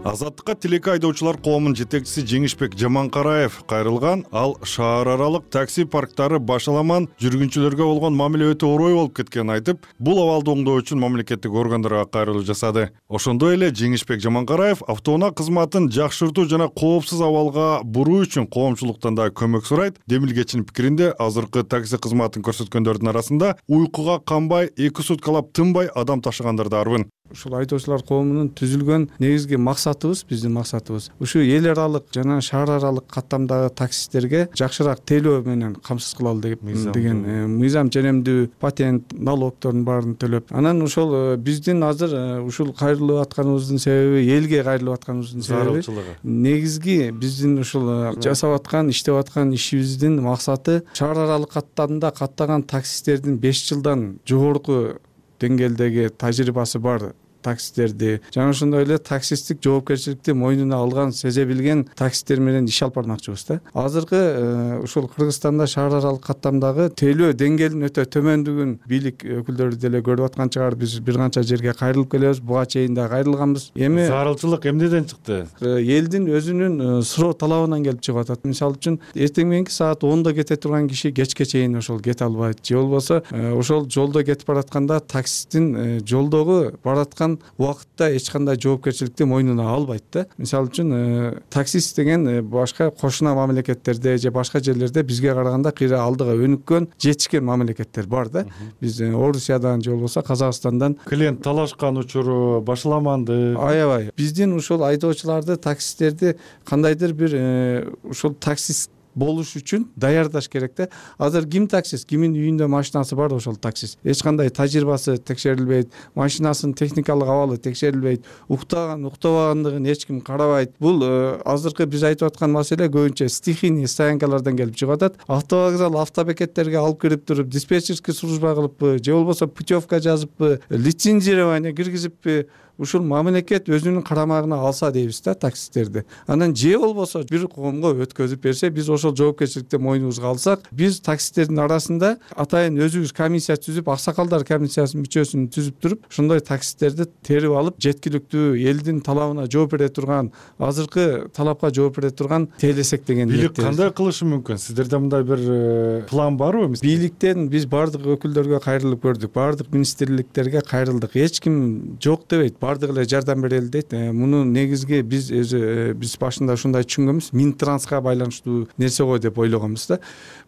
Азаттыкка тилекке айдоочулар коомунун жетекчиси Жеңишбек Жаманкараев кайрылган. Ал шаар аралык такси парктары башаламан жүргүнчүлөргө болгон мамиле өтө орой болуп кеткенин айтып, бул абалды оңдоо үчүн мамлекеттик органдарга кайрылуу жасады. Ошондой эле Жеңишбек Жаманкараев автоунаа кызматын жакшыртуу жана коопсуз абалга буруу үчүн коомчулуктан да көмөк сурайт. Демилгечинин пикиринде, азыркы такси кызматын көрсөткөндөрдүн арасында уйкуга канбай, эки суткалап тынбай адам ташыгандар да арбын. Ушул айдоочулар коомунун түзүлгөн негизги максатыбыз, биздин максатыбыз ушу эл аралык жана шаар аралык каттамдагы таксисттерге жакшыраак тейлөө менен камсыз кылалы деген мыйзам ченемдүү, патент, налогдордун баарын төлөп. Анан ошол биздин азыр ушул кайрылып атканыбыздын себеби, элге кайрылып атканыбыздын себеби негизги биздин ушул жасап аткан, иштеп аткан ишибиздин максаты шаар аралык каттамда каттаган таксисттердин беш жылдан жогорку деңгээлдеги тажрыйбасы бар таксисттерди жана ошондой эле таксисттик жоопкерчиликти мойнуна алган, сезе билген таксисттер менен иш алып бармакчыбыз да. Азыркы ушул Кыргызстанда шаар аралык каттамдагы тейлөө деңгээлинин өтө төмөндүгүн бийлик өкүлдөрү деле көрүп аткан чыгар. Биз бир канча жерге кайрылып келебиз, буга чейин да кайрылганбыз. Эми зарылчылык эмнеден чыкты? Элдин өзүнүн суроо талабынан келип чыгып атат. Мисалы үчүн эртең мененки саат онда кете турган киши кечке чейин ошол кете албайт, же болбосо ошол жолдо кетип баратканда таксисттин жолдогу бараткан убакытта эч кандай жоопкерчиликти мойнуна албайт да. Мисалы үчүн таксист деген башка кошуна мамлекеттерде же башка жерлерде бизге караганда кыйра алдыга өнүккөн, жетишкен мамлекеттер бар да. Биз Орусиядан же болбосо Казакстандан клиент талашкан учуру башаламанды. Аябай. Биздин ушул айдоочуларды, таксисттерди кандайдыр бир ушул таксист болуш үчүн даярдаш керек да. Азыр ким таксист, кимин үйүндө машинасы бар ошол таксист. Эч кандай тажрыйбасы текшерилбейт, машинасынын техникалык абалы текшерилбейт, уктаган, уктабагандыгын эч ким карабайт. Бул азыркы биз айтып аткан маселе көбүнчө стихийный стоянкалардан келип чыгып атат. Автовокзал, автобекеттерге алып кирип туруп, диспетчерский служба кылыппы, же болбосо путевка жазыппы, лицензирование киргизиппи, ушул мамлекет өзүнүн карамагына алса дейбиз да таксисттерди. Анан же болбосо бир коомго өткөзүп берсе, биз ошол жоопкерчиликти мойнубузга алсак, биз таксисттердин арасында атайын өзүбүз комиссия түзүп, аксакалдар комиссиясынын мүчөсүн түзүп туруп, ошондой таксисттерди терип алып, жеткиликтүү элдин талабына жооп бере турган, азыркы талапка жооп бере турган тейлесек деген ниеттебиз. Бийлик кандай кылышы мүмкүн? Сиздерде мындай бир план барбы? Бийликтен биз бардык өкүлдөргө кайрылып көрдүк, бардык министрликтерге кайрылдык. Эч ким жок дебейт. Бардык эле жардам берели дейт. Муну негизги биз өзү биз башында ушундай түшүнгөнбүз. Минтранска байланыштуу нерсе го деп ойлогонбуз да.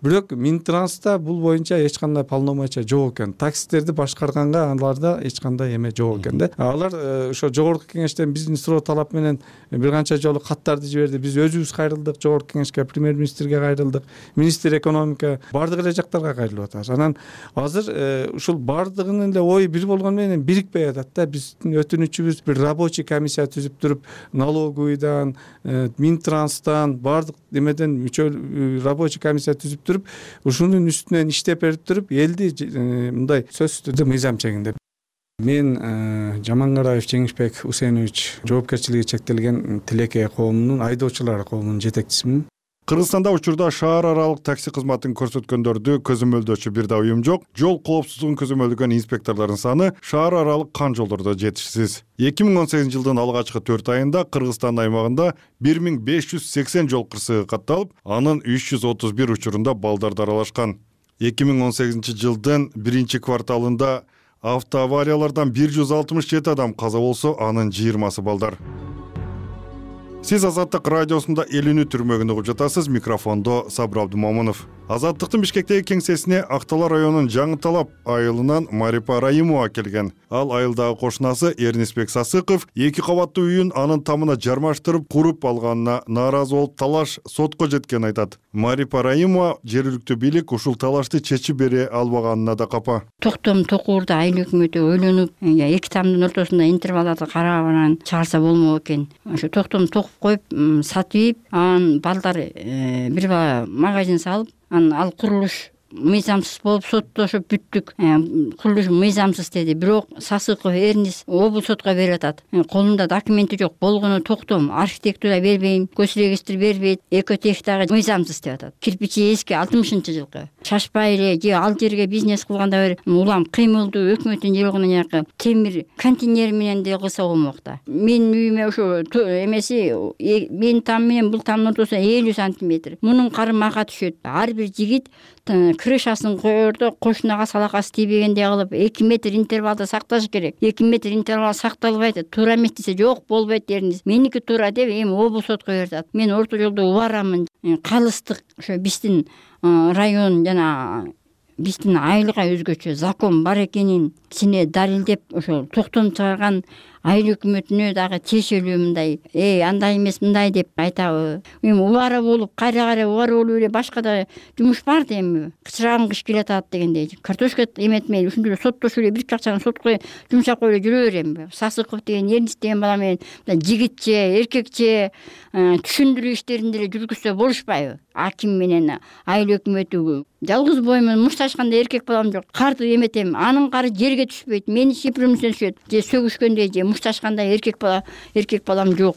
Бирок Минтранста бул боюнча эч кандай полномочия жок экен. Таксисттерди башкарганга аларда эч кандай эме жок экен да. Алар ошо жогорку кеңештен биздин суроо талап менен бир канча жолу каттарды жиберди. Биз өзүбүз кайрылдык, жогорку кеңешке, премьер-министрге кайрылдык, министр экономика, бардык эле жактарга кайрылып атабыз. Анан азыр ушул бардыгынын эле ою бир болгону менен бирикпей атат да. Биздин өтүнүчүбүз бир рабочий комиссия түзүп туруп, налоговыйдан, Минтранстан, бардык эмеден мүчө рабочий комиссия түзүп туруп, ушунун үстүнөн иштеп берип туруп, элди мындай сөзсүз түрдө мыйзам чегиндеп. Мен Жамангараев Жеңишбек Усенович, жоопкерчилиги чектелген тилекей коомунун, айдоочулар коомунун жетекчисимин. Кыргызстанда учурда шаар аралык такси кызматын көрсөткөндөрдү көзөмөлдөөчү бир да уюм жок. Жол коопсуздугун көзөмөлдөгөн инспекторлордун саны шаар аралык кан жолдордо жетишсиз. эки миң он сегизинчи жылдын алгачкы төрт айында Кыргызстан аймагында бир миң беш жүз сексен жол кырсыгы катталып, анын үч жүз отуз бир учурунда балдар даралашкан. эки миң он сегизинчи жылдын биринчи кварталында автоавариялардан бир жүз алтымыш жети адам каза болсо, анын жыйырмасы балдар. Сиз Азаттык радиосунда Элүүнү түрмөгүндө угуп жатасыз. Микрофондо Сабыр Абдымомунов. Азаттыктын Бишкектеги кеңсесине Актала районунун Жаңы Талап айылынан Марипа Раимова келген. Ал айылдагы кошунасы Эрнисбек Сасыков эки кабаттуу үйүн анын тамына жармаштырып куруп алганына нааразы болуп, талаш сотко жеткенин айтат. Марипа Раимова жергиликтүү бийлик ушул талашты чечип бере албаганына да капа. Токтом токуурда айыл өкмөтү ойлонуп, эки тамдын ортосунда интервалдарды карап анан чыгарса болмок экен. Ошо токтом токуп коюп, сатып, анан балдар бир баа магазин салып, анан ал курулуш мыйзамсыз болуп соттошуп бүттүк. Курулуш мыйзамсыз деди. Бирок Сасыков Эрнис облус сотко берип атат. Колунда документи жок, болгону токтом, архитектура бербейм, көчрегистр бербейт, экотех дагы мыйзамсыз деп атат. Кирпичи эски алтымышынчы жылкы. Шашпай эле же ал жерге бизнес кылганда бир улам кыймылдуу өкмөттүн жергинен жакы темир контейнер менен деле кылса болмок да. Менин үйүмө ошо эмеси менин там менен бул тамдын ортосуна элүү сантиметр. Мунун карымака түшөт. Ар бир жигит крышасын коердо кошунага салакасы тийбегендей кылып эки метр интервалда сакташ керек. эки метр интервал сакталбайт. Туура эмес десе жок болбойт дерниз. Меники туура деп эми облус сотко берип атат. Мен орто жолдо убарамын. Калыстык ошо биздин район жана биздин айылга өзгөчө закон бар экенин сине далилдеп ошо токтом чыгарган айыл өкмөтүнө дагы тиешелүү мындай эй андай эмес мындай деп айтабы. Эми убара болуп кайра кайра убара болуп эле башка да жумуш бар да эми. Кычыраган кыш келатат дегендей. Картошка эметмей ушундай эле соттошуп эле бир акчаны сотко жумшап коюп эле жүрө берем. Сасыков деген Эрнис деген бала менен жигитче, эркекче түшүндүрүү иштерин деле жүргүзсө болушпайбы? Аким менен айыл өкмөтү жалгыз боймун, мушташканда эркек балам жок. Карды эметем, анын кары жерге түшпөйт. Мени сипирүүмсүн түшөт. Же сөгүшкөндө же мушташканда эркек бала, эркек балам жок.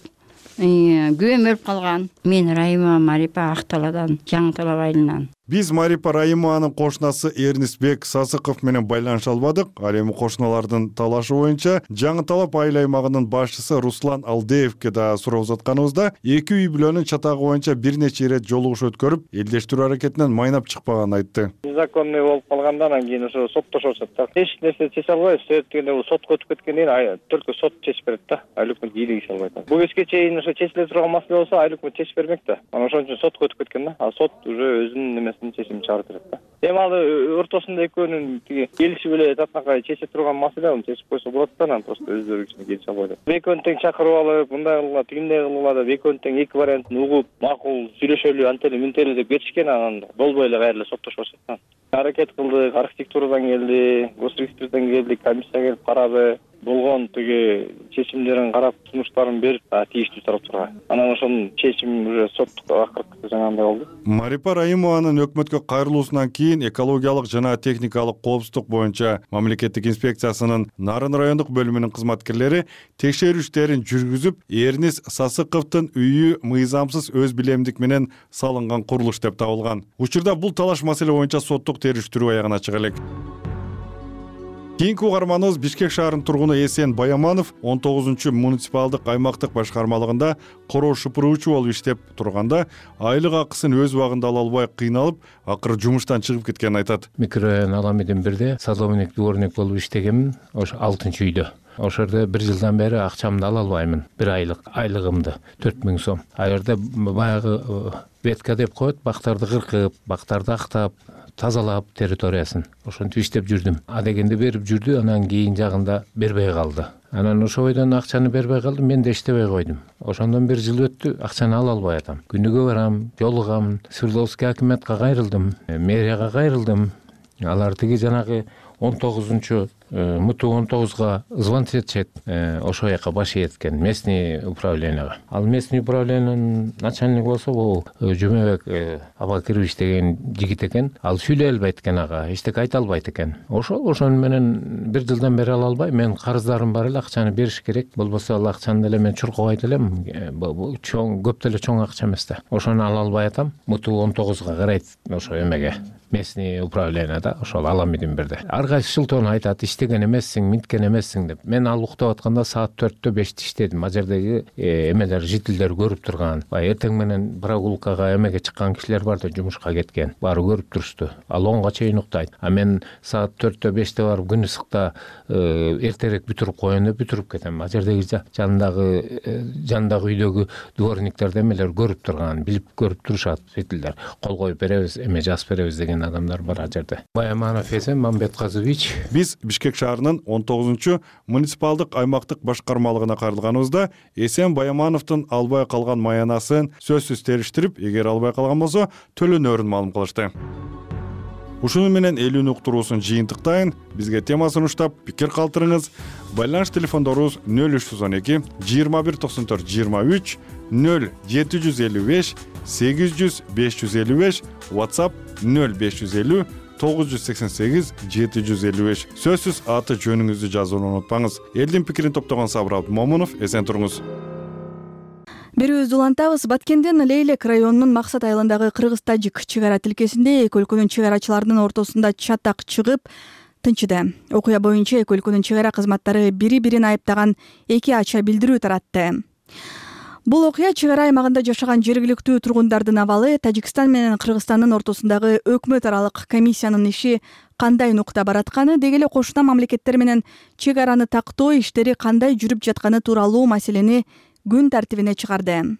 Күйөөм өлүп калган. Мен Райыма Марипа Ак Талаадан, Жаңы Талап айылынан. Биз Марипа Райыманын кошунасы Эрнисбек Сасыков менен байланыша албадык. Ал эми кошуналардын талашы боюнча Жаңы Талап айыл аймагынын башчысы Руслан Алдеевке да суроо узатканыбызда эки үй бүлөнүн чатагы боюнча бир нече ирет жолугуш өткөрүп, элдештирүү аракетинен майнап чыкпаганын айтты. Незаконный болуп калгандан анан ошо соттошот да. Эч нерсе чече албайбыз. Себеп дегенде бул сотко өтүп кеткенден кийин только сот чечип берет да. Айыл өкмөт ийгилиги иш албайт. Бул кезге чейин ошо чечиле турган маселе болсо айыл өкмөт чечип бермек да. Анан ошон үчүн сотко өтүп кеткен да. А сот уже өзүнүн немесин чечимин чыгарып берет да. Эми ал ортосунда экөөнүн тиги келишип эле татынакай чече турган маселе, аны чечип койсо болот да. Анан просто өздөрү кичине келише албайт. Экөөнү тең чакырып алып, мындай кылгыла, тигиндей кылгыла деп экөөнү тең эки вариантын угуп, макул сүйлөшөлү, антели мынтели деп кетишкен, анан болбой эле кайра эле соттошуп атышат. Аракет кылдык, архитектурадан келди, госрегистрден келди, комиссия келип карады. Болгон тиги чечимдерин карап, сунуштарын берип, тийиштүү тараптарга. Анан ошонун чечими уже соттук акыркы жаңагындай болду. Марипа Райымованын өкмөткө кайрылуусунан кийин экологиялык жана техникалык коопсуздук боюнча мамлекеттик инспекциясынын Нарын райондук бөлүмүнүн кызматкерлери текшерүү иштерин жүргүзүп, Эрнис Сасыковдун үйү мыйзамсыз өз билемдик менен салынган курулуш деп табылган. Учурда бул талаш маселе боюнча соттук териштирүү аягына чыга элек. Кийинки угарманыбыз Бишкек шаарынын тургуну Эсен Баяманов он тогузунчу муниципалдык аймактык башкармалыгында короо шупуруучу болуп иштеп турганда айлык акысын өз убагында ала албай кыйналып, акыры жумуштан чыгып кеткенин айтат. Микрорайон Аламедин бирде садовник, дворник болуп иштегенмин, ошо алтынчы үйдө. Ошордо бир жылдан бери акчамды ала албаймын. Бир айлык айлыгымды төрт миң сом. А жерде баягы ветка деп коет, бактарды кыркып, бактарды актап, тазалап территориясын. Ошентип иштеп жүрдүм. А дегенде берип жүрдү, анан кийин жагында бербей калды. Анан ошо бойдон акчаны бербей калды, мен да иштебей койдум. Ошондон бир жыл өттү, акчаны ала албай атам. Күнүгө барам, жолугам, Свердловский акиметке кайрылдым, мэрияга кайрылдым. Алар тиги жанагы он тогузунчу муту он тогузга звонить этишет, ошол жака баш ийеткен местный управленияга. Ал местный управлениянын начальниги болсо бул Жумабек Абакирович деген жигит экен. Ал сүйлөй албайт экен ага, эчтеке айта албайт экен. Ошол ошону менен бир жылдан бери ала албай, мен карыздарым бар эле, акчаны бериш керек. Болбосо ал акчаны деле мен чуркабайт элем. Бул чоң, көп деле чоң акча эмес да. Ошону ала албай атам. Муту он тогузга карайт ошо эмеге. Местный управленияда ошол Аламедин бирде. Ар кайсы жылтон айтат, иштеген эмессиң, мынткен эмессиң деп. Мен ал уктап атканда саат төрттө беште иштедим. А жердеги эмелер, жителдер көрүп турган. Баягы эртең менен прогулкага эмеге чыккан кишилер бар да, жумушка кеткен. Баары көрүп турушту. Ал онго чейин уктайт. А мен саат төрттө беште барып күн ысыкта эртерээк бүтүрүп коеюн деп бүтүрүп кетем. А жердеги жандагы жандагы үйдөгү дворниктер эмелер көрүп турган, билип көрүп турушат жителдер. Кол коюп беребиз, эме жазып беребиз деген адамдар бар а жерде. Баяманов Эсен Мамбетказович. Биз Бишкек шаарынын он тогузунчу муниципалдык аймактык башкармалыгына кайрылганыбызда Эсен Баямановдун албай калган маянасын сөзсүз териштирип, эгер албай калган болсо төлөнөрүн маалым кылышты. Ушуну менен элүүнү уктуруусун жыйынтыктайын. Бизге тема сунуштап, пикир калтырыңыз. Байланыш телефондорубуз нөл үч жүз он эки жыйырма бир токсон төрт жыйырма үч, нөл жети жүз элүү беш сегиз жүз беш жүз элүү беш, WhatsApp нөл беш жүз элүү тогуз жүз сексен сегиз жети жүз элүү беш. Сөзсүз аты жөнүңүздү жазууну унутпаңыз. Элдин пикирин топтогон Сабыр Абдымомунов, эсен туруңуз. Берүүбүздү улантабыз. Баткендин Лейлек районунун Максат айылындагы кыргыз-тажик чек ара тилкесинде эки өлкөнүн чек арачыларынын ортосунда чатак чыгып тынчыды. Окуя боюнча эки өлкөнүн чек ара кызматтары бири-бирин айыптаган эки ача билдирүү таратты. Бул окуя чек ара аймагында жашаган жергиликтүү тургундардын абалы, Тажикстан менен Кыргызстандын ортосундагы өкмөт аралык комиссиянын иши кандай нукта баратканы, деги эле кошуна мамлекеттер менен чек араны тактоо иштери кандай жүрүп жатканы тууралуу маселени күн тартибине чыгарды.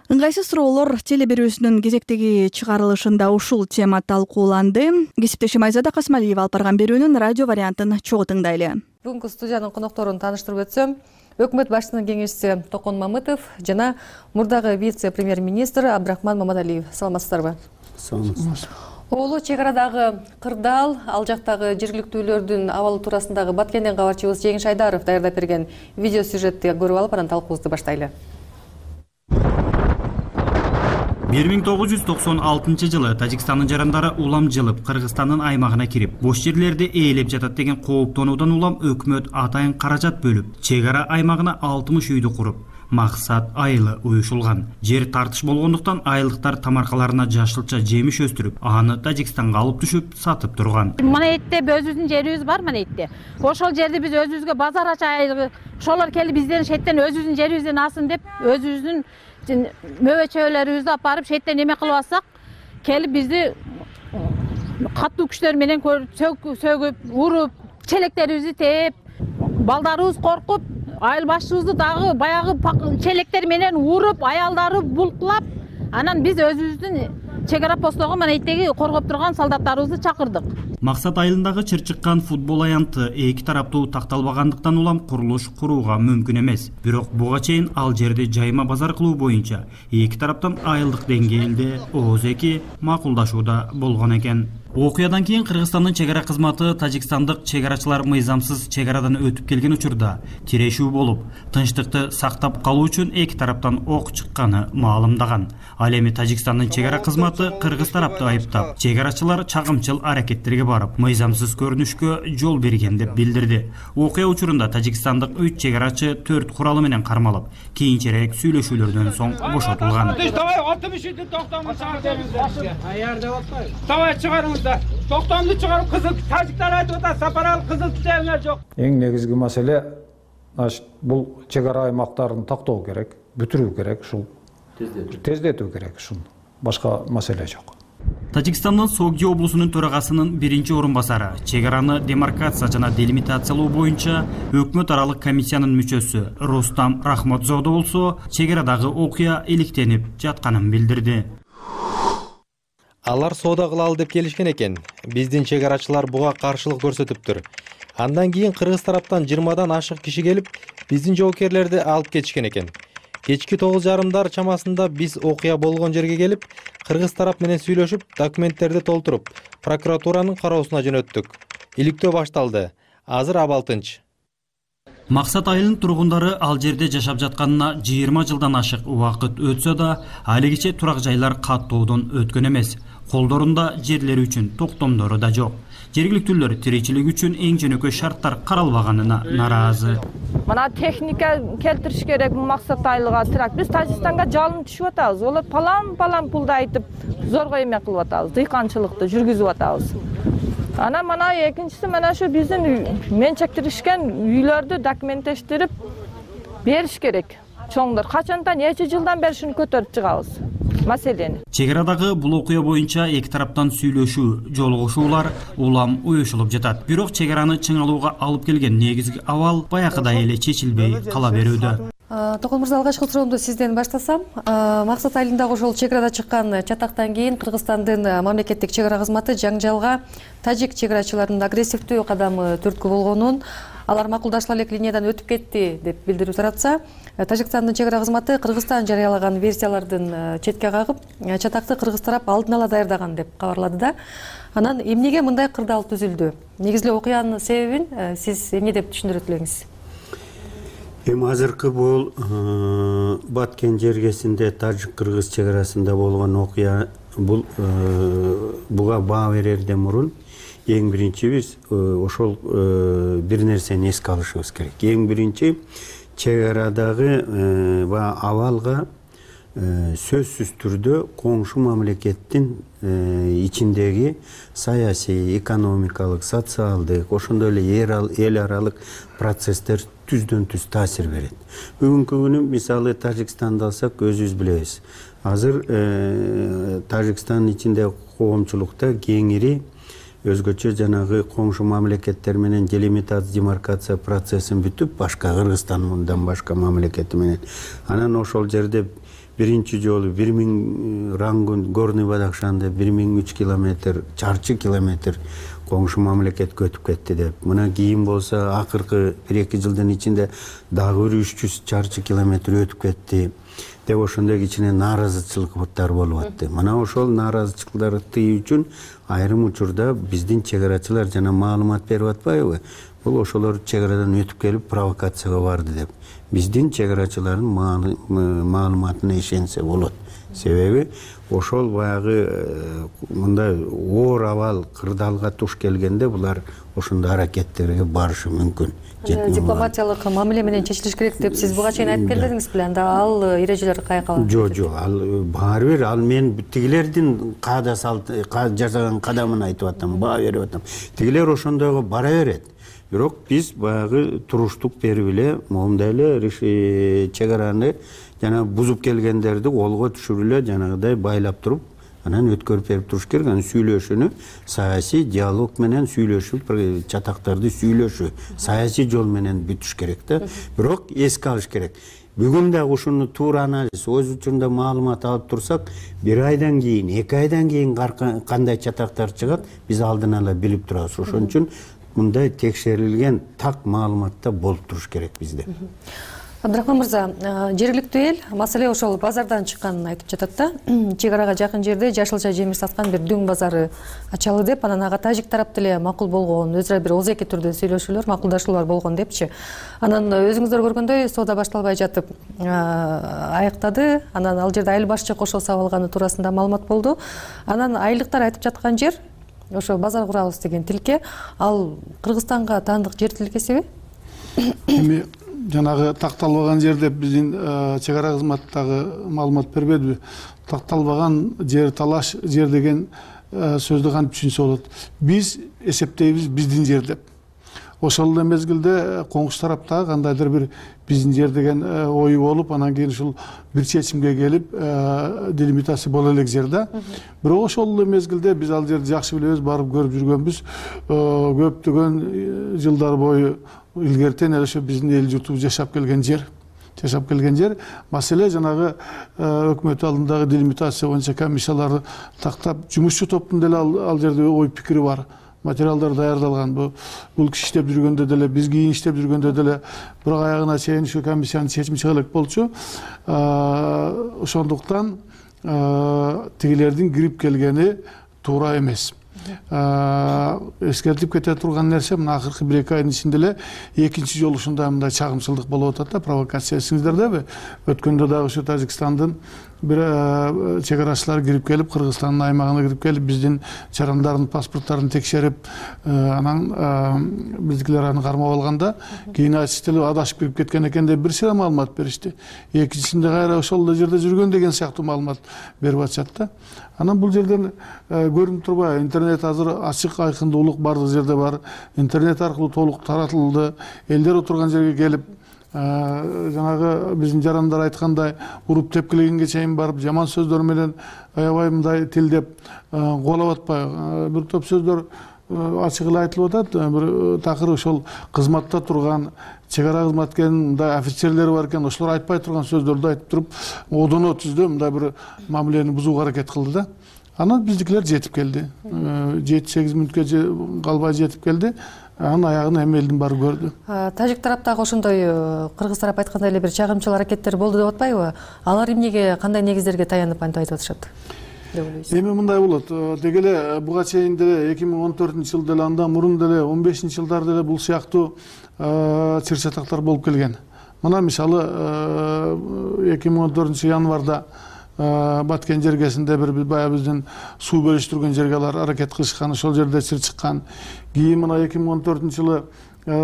Ыңгайсыз суроолор теле берүүсүнүн кезектеги чыгарылышында ушул тема талкууланды. Кесиптешим Айзада Касмалиева алып барган берүүнүн радио вариантын чогуу тыңдайлы. Бүгүнкү студиянын конокторун тааныштырып өтсөм, өкмөт башчысынын кеңешчиси Токон Мамытов жана мурдагы вице-премьер-министр Абдрахман Мамадалиев. Саламатсыздарбы? Саламатсыз. Оолу чек арадагы кырдаал, ал жактагы жергиликтүүлөрдүн абалы туурасындагы Баткенден кабарчыбыз Жеңиш Айдаров даярдап берген видео сюжетти көрүп алып, анан талкуубузду баштайлы. бир миң тогуз жүз токсон алтынчы жылы Тажикстандын жарандары улам жылып Кыргызстандын аймагына кирип, бош жерлерди ээлеп жатат деген кооптонуудан улам өкмөт атайын каражат бөлүп, чек ара аймагына алтымыш үйдү куруп, максат айылы уюшулган. Жер тартыш болгондуктан айылдыктар тамаркаларына жашылча жемиш өстүрүп, аны Тажикстанга алып түшүп сатып турган. Мына этте өзүбүздүн жерибиз бар, мына этте. Ошол жерди биз өзүбүзгө базар ачайлы, ошолор келип бизден шеттен өзүбүздүн жерибизден алсын деп, өзүбүздүн мөбөчөлөрүбүздү апарып шеттен эме кылып алсак, келип бизди катуу күчтөр менен сөгүп, уруп, челектерибизди тээп, балдарыбыз коркуп, айыл башчыбызды дагы баягы челектер менен уруп, аялдары булкулап, анан биз өзүбүздүн чек ара постого мына эттеги коргоп турган солдаттарыбызды чакырдык. Максат айылындагы чыр-чыккан футбол аянты эки тараптуу такталбагандыктан улам курулуш курууга мүмкүн эмес. Бирок буга чейин ал жерди жайма базар кылуу боюнча эки тараптан айылдык деңгээлде ооз эки макулдашууда болгон экен. Окуядан кийин Кыргызстандын чек ара кызматы тажикстандык чек арачылар мыйзамсыз чек арадан өтүп келген учурда тирешүү болуп, тынчтыкты сактап калуу үчүн эки тараптан ок чыкканы маалымдаган. Ал эми Тажикстандын чек ара кызматы кыргыз тарапты айыптап, чек арачылар чагымчыл аракеттерге барып, мыйзамсыз көрүнүшкө жол берген деп билдирди. Окуя учурунда тажикстандык үч чек арачы төрт куралы менен кармалып, кийинчерээк сүйлөшүүлөрдөн соң бошотулган. Токтомду чыгарып, кызыл тажиктар айтып атат, сапаралык кызыл түтөгүңөр жок. Эң негизги маселе бул чек ара аймактарын тактоо керек, бүтүрүү керек, ушул тездетүү керек, ушул башка маселе жок. Тажикстандын Согди облусунун төрагасынын биринчи орун басары, чек араны демаркация жана делимитациялоо боюнча өкмөт аралык комиссиянын мүчөсү Рустам Рахматзода болсо, чек арадагы окуя иликтенип жатканын билдирди. Алар соода кылалы деп келишкен экен. Биздин чек арачылар буга каршылык көрсөтүптүр. Андан кийин кыргыз тараптан жыйырмадан ашык киши келип, биздин жоокерлерди алып кетишкен экен. Кечки тогуз жарымдар чамасында биз окуя болгон жерге келип, кыргыз тарап менен сүйлөшүп, документтерди толтуруп, прокуратуранын кароосуна жөнөттүк. Иликтөө башталды. Азыр абал тынч. Максат айылынын тургундары ал жерде жашап жатканына жыйырма жылдан ашык убакыт өтсө да, алигиче турак жайлар каттоодон өткөн эмес. Колдорунда жерлери үчүн токтомдору да жок. Жергиликтүүлөр тиричилик үчүн эң жөнөкөй шарттар каралбаганына нараазы. Мына техника келтириш керек Максат айылга трак. Биз Тажикстанга жалын түшүп атабыз. Олар палам-палам пулду айтып, зорго эме кылып атабыз, дыйканчылыкты жүргүзүп атабыз. Ана мана экинчиси мана ошо биздин менчектиришкен үйлөрдү документтештирип бериш керек. Чоңдор качандан нече жылдан бери шуну көтөрүп чыгабыз маселени. Чек арадагы бул окуя боюнча эки тараптан сүйлөшүү, жолугушуулар улам уюшулуп жатат. Бирок чек араны чыңалууга алып келген негизги абал баягыдай эле чечилбей кала берүүдө. Токон мырза, алгачкы суроомду сизден баштасам. Максат айылындагы ошол чек арада чыккан чатактан кийин Кыргызстандын мамлекеттик чек ара кызматы жаңжалга тажик чек арачыларынын агрессивдүү кадамы түрткү болгонун, алар макулдашыла элек линиядан өтүп кетти деп билдирип таратса, Тажикстандын чек ара кызматы Кыргызстан жарыялаган версиялардын четке кагып, чатакты кыргыз тарап алдын ала даярдаган деп кабарлады да. Анан эмнеге мындай кырдаал түзүлдү? Негизи эле окуянын себебин сиз эмне деп түшүндүрөт элеңиз? Эми азыркы бул Баткен жергесинде тажик-кыргыз чек арасында болгон окуя, бул буга баа берерден мурун эң биринчи биз ошол бир нерсени эске алышыбыз керек. Эң биринчи чек арадагы абалга сөзсүз түрдө коңшу мамлекеттин ичиндеги саясий, экономикалык, социалдык, ошондой эле эл аралык процесстер түздөн түз таасир берет. Бүгүнкү күнү мисалы Тажикстанды алсак, өзүбүз билебиз. Азыр Тажикстандын ичинде коомчулукта кеңири өзгөчө жанагы коңшу мамлекеттер менен делимитация, демаркация процессин бүтүп, башка Кыргызстандан башка мамлекети менен. Анан ошол жерде биринчи жолу бир миң Рангун, Горный Бадахшанда бир миң үч километр, чарчы километр коңшу мамлекетке өтүп кетти деп. Мына кийин болсо акыркы бир эки жылдын ичинде дагы бир үч жүз чарчы километр өтүп кетти деп ошондой кичине нааразычылыктар болуп атты. Мына ошол нааразычылыктарды тыюу үчүн айрым учурда биздин чек арачылар жана маалымат берип атпайбы? Бул ошолор чек арадан өтүп келип провокацияга барды деп. Биздин чек арачылардын маалыматына ишенсе болот себеби ошол баягы мындай оор абал кырдаалга туш келгенде булар ошондой аракеттерге барышы мүмкүн. Дипломатиялык мамиле менен чечилиш керек деп сиз буга чейин айтып келдиңиз беле? Анда ал эрежелер каяка калат? Жок, жок, ал баары бир ал мен тигилердин каада салт жасаган кадамын айтып атам, баа берип атам. Тигилер ошондойго бара берет. Бирок биз баягы туруштук берип эле моундай эле чек араны жана бузуп келгендерди колго түшүрүп эле жанагыдай байлап туруп, анан өткөрүп берип туруш керек. Анан сүйлөшүүнү саясий диалог менен сүйлөшүп, чатактарды сүйлөшүү, саясий жол менен бүтүш керек да. Бирок эске алыш керек. Бүгүн дагы ушуну туура анализ, өз учурунда маалымат алып турсак, бир айдан кийин, эки айдан кийин кандай чатактар чыгат, биз алдын ала билип турабыз. Ошон үчүн мындай текшерилген так маалыматта болуп туруш керек бизде. Абдрахман мырза, жергиликтүү эл маселе ошол базардан чыкканын айтып жатат да. Чек арага жакын жерде жашылча жемиш саткан бир дөң базары ачалы деп, анан ага тажик тарап деле макул болгон, өзү бир озеки түрдө сүйлөшүүлөр, макулдашуулар болгон депчи. Анан өзүңүздөр көргөндөй соода башталбай жатып аяктады. Анан ал жерде айыл башчы кошо сап алганы туурасында маалымат болду. Анан айылдыктар айтып жаткан жер ошо базар курабыз деген тилке, ал Кыргызстанга таандык жер тилкесиби? Эми жанагы такталбаган жер деп биздин чек ара кызматтагы маалымат бербедиби? Такталбаган жер, талаш жер деген сөздү кантип түшүнсө болот? Биз эсептейбиз биздин жер деп. Ошол эле мезгилде коңшу тараптагы кандайдыр бир биздин жер деген ою болуп, анан кийин ушул бир чечимге келип, делимитация боло элек жер да. Бирок ошол эле мезгилде биз ал жерди жакшы билебиз, барып көрүп жүргөнбүз. Көптөгөн жылдар бою илгертен эле ошо биздин эл журтубуз жашап келген жер. Жашап келген жер. Маселе жанагы өкмөт алдындагы делимитация боюнча комиссияларды тактап, жумушчу топтун деле ал жерде ой пикири бар. Материалдар даярдалган. Бул киши иштеп жүргөндө деле, биз кийин иштеп жүргөндө деле бирок аягына чейин ушу комиссиянын чечими чыга элек болчу. Ошондуктан тигилердин кирип келгени туура эмес. Эскертип кете турган нерсе, мына акыркы бир эки айдын ичинде эле экинчи жолу ушундай мындай чагымчылдык болуп атат да, провокация. Эсиңиздердеби? Өткөндө дагы ушу Тажикстандын бир чек арачылар кирип келип, Кыргызстандын аймагына кирип келип, биздин жарандардын паспорттарын текшерип, анан биздикилер аны кармап алганда, кийин айтышты эле адашып кирип кеткен экен деп бир сыйра маалымат беришти. Экинчисинде кайра ошол эле жерде жүргөн деген сыяктуу маалымат берип атышат да. Анан бул жерден көрүнүп турбайбы? Интернет азыр ачык, айкындуулук бардык жерде бар. Интернет аркылуу толук таратылды. Элдер отурган жерге келип, жанагы биздин жарандар айткандай уруп тепкилегенге чейин барып, жаман сөздөр менен аябай мындай тилдеп кубалап атпайбы? Бир топ сөздөр ачык эле айтылып атат. Бир такыр ошол кызматта турган чек ара кызматкеринин мындай офицерлери бар экен, ошолор айтпай турган сөздөрдү айтып туруп, одоно түздө мындай бир мамилени бузууга аракет кылды да. Анан биздикилер жетип келди. жети сегиз мүнөткө калбай жетип келди. Анын аягын эми элдин баары көрдү. Тажик тараптагы ошондой кыргыз тарап айткандай эле бир чагымчыл аракеттер болду деп атпайбы? Алар эмнеге, кандай негиздерге таянып антип айтып атышат? Эми мындай болот. Деги эле буга чейин деле эки миң он төртүнчү жылы деле, андан мурун деле он бешинчи жылдары деле бул сыяктуу чыр чатактар болуп келген. Мына мисалы эки миң он төртүнчү январда Баткен жергесинде бир баягы биздин суу бөлүштүргөн жерге алар аракет кылышкан, ошол жерде чыр чыккан. Кийин мына эки миң он төртүнчү жылы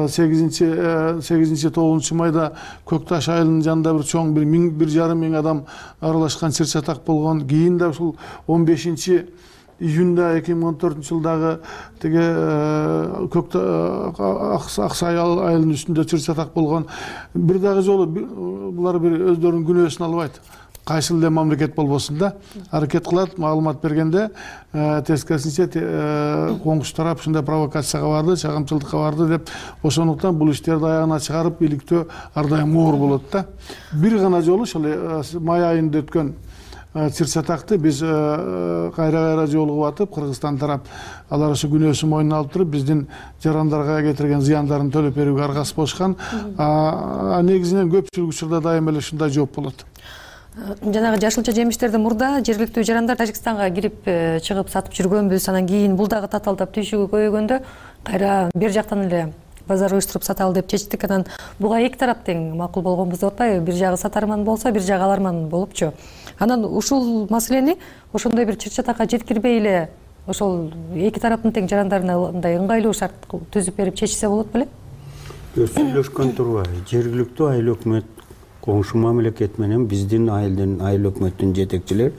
сегизинчи тогузунчу майда Көк Таш айылынын жанында бир чоң бир миң бир жарым миң адам аралашкан чыр чатак болгон. Кийин да ушул он бешинчи июнда эки миң он төртүнчү жылдагы тиги Аксай айылынын үстүндө чыр чатак болгон. Бир дагы жолу булар бир өздөрүнүн күнөөсүн албайт. Кайсыл эле мамлекет болбосун да, аракет кылат, маалымат бергенде тескерисинче коңшу тарап ушундай провокацияга барды, чагымчылдыкка барды деп, ошондуктан бул иштерди аягына чыгарып иликтөө ар дайым оор болот да. Бир гана жолу ошол май айында өткөн чыр чатакты биз кайра-кайра жолугуп атып, Кыргызстан тарап алар ошо күнөөсүн мойнуна алып туруп, биздин жарандарга кетирген зыяндарын төлөп берүүгө аргасыз болушкан. Негизинен көпчүлүк учурда дайыма эле ушундай жооп болот. Жанагы жашылча жемиштерди мурда жергиликтүү жарандар Тажикстанга кирип чыгып сатып жүргөнбүз, анан кийин бул дагы татаалдап түйшүгү көбөйгөндө кайра бер жактан эле базар уюштуруп саталы деп чечтик. Анан буга эки тарап тең макул болгонбуз деп атпайбы? Бир жагы сатарман болсо, бир жагы аларман болупчу. анан ушул маселени ошондой бир чыр-чатакка жеткирбей эле ошол эки тараптын тең жарандарына мындай ыңгайлуу шарт түзүп берип чечсе болот беле? Сүйлөшкөн турбайбы? Жергиликтүү айыл өкмөт коңшу мамлекет менен биздин айылдын айыл өкмөттүн жетекчилери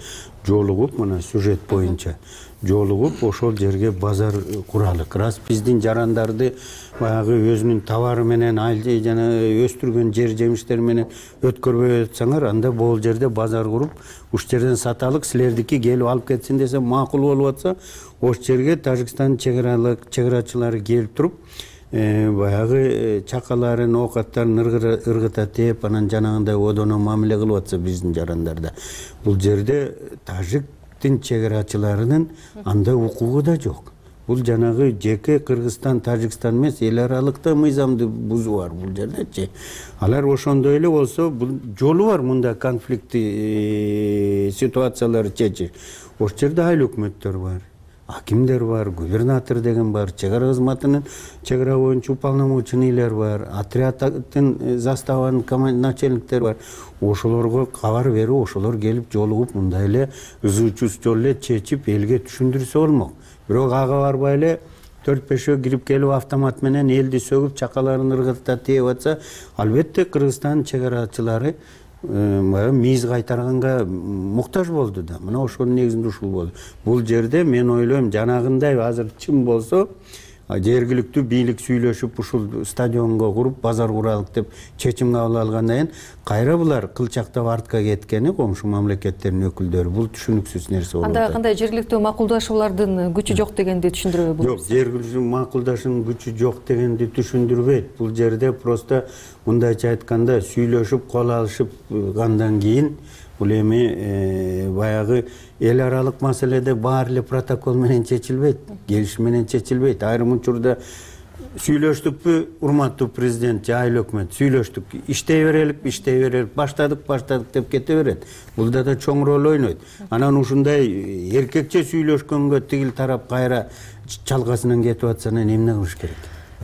жолугуп, мына сюжет боюнча жолугуп ошол жерге базар куралык. Раз биздин жарандарды баягы өзүнүн товары менен айыл жана өстүргөн жер жемиштер менен өткөрбөй атсаңар, анда бул жерде базар куруп, уш жерден саталык, силердики келип алып кетсин десе макул болуп атса, ош жерге Тажикстан чегарачылары келип туруп, баягы чакаларын, оокаттарын ыргыта тээп, анан жанагындай одоно мамиле кылып атса биздин жарандарда, бул жерде тажиктин чегарачыларынын анда укугу да жок. Бул жанагы жеке Кыргызстан, Тажикстан эмес, эл аралыкта мыйзамды бузуу бар бул жердечи. Алар ошондой эле болсо, бул жолу бар мында конфликти ситуацияларды чечиш. Ош жерде айыл өкмөттөр бар, акимдер бар, губернатор деген бар, чегара кызматынын чегара боюнча уполномоченныйлер бар, отрядтын заставанын начальниктери бар. Ошолорго кабар берип, ошолор келип жолугуп мындай эле ызы чуз жол эле чечип элге түшүндүрсө болмок. Бирок ага барбай эле төрт бешөө кирип келип автомат менен элди сөгүп, чакаларын ыргыта тээп атса, албетте Кыргызстан чегарачылары мийиз кайтарганга муктаж болду да. Мына ошонун негизинде ушул болду. Бул жерде мен ойлойм, жанагындай азыр чын болсо, жергиликтүү бийлик сүйлөшүп ушул стадионго куруп, базар куралык деп чечим кабыл алгандан кийин кайра булар кылчактап артка кеткени коңшу мамлекеттердин өкүлдөрү. Бул түшүнүксүз нерсе болот. Анда кандай жергиликтүү макулдашуулардын күчү жок дегенди түшүндүрөбү? Жок, жергиликтүү макулдашуунун күчү жок дегенди түшүндүрбөйт. Бул жерде просто мындайча айтканда сүйлөшүп, кол алышыпгандан кийин бул эми баягы эл аралык маселеде баары эле протокол менен чечилбейт, келишим менен чечилбейт. Айрым учурда сүйлөштүкпү, урматтуу президент же айыл өкмөт, сүйлөштүк, иштей берелик, иштей берелик, баштадык, баштадык деп кете берет. Булда да чоң роль ойнойт. Анан ушундай эркекче сүйлөшкөнгө тигил тарап кайра чалкасынан кетип атса, эмне кылыш керек?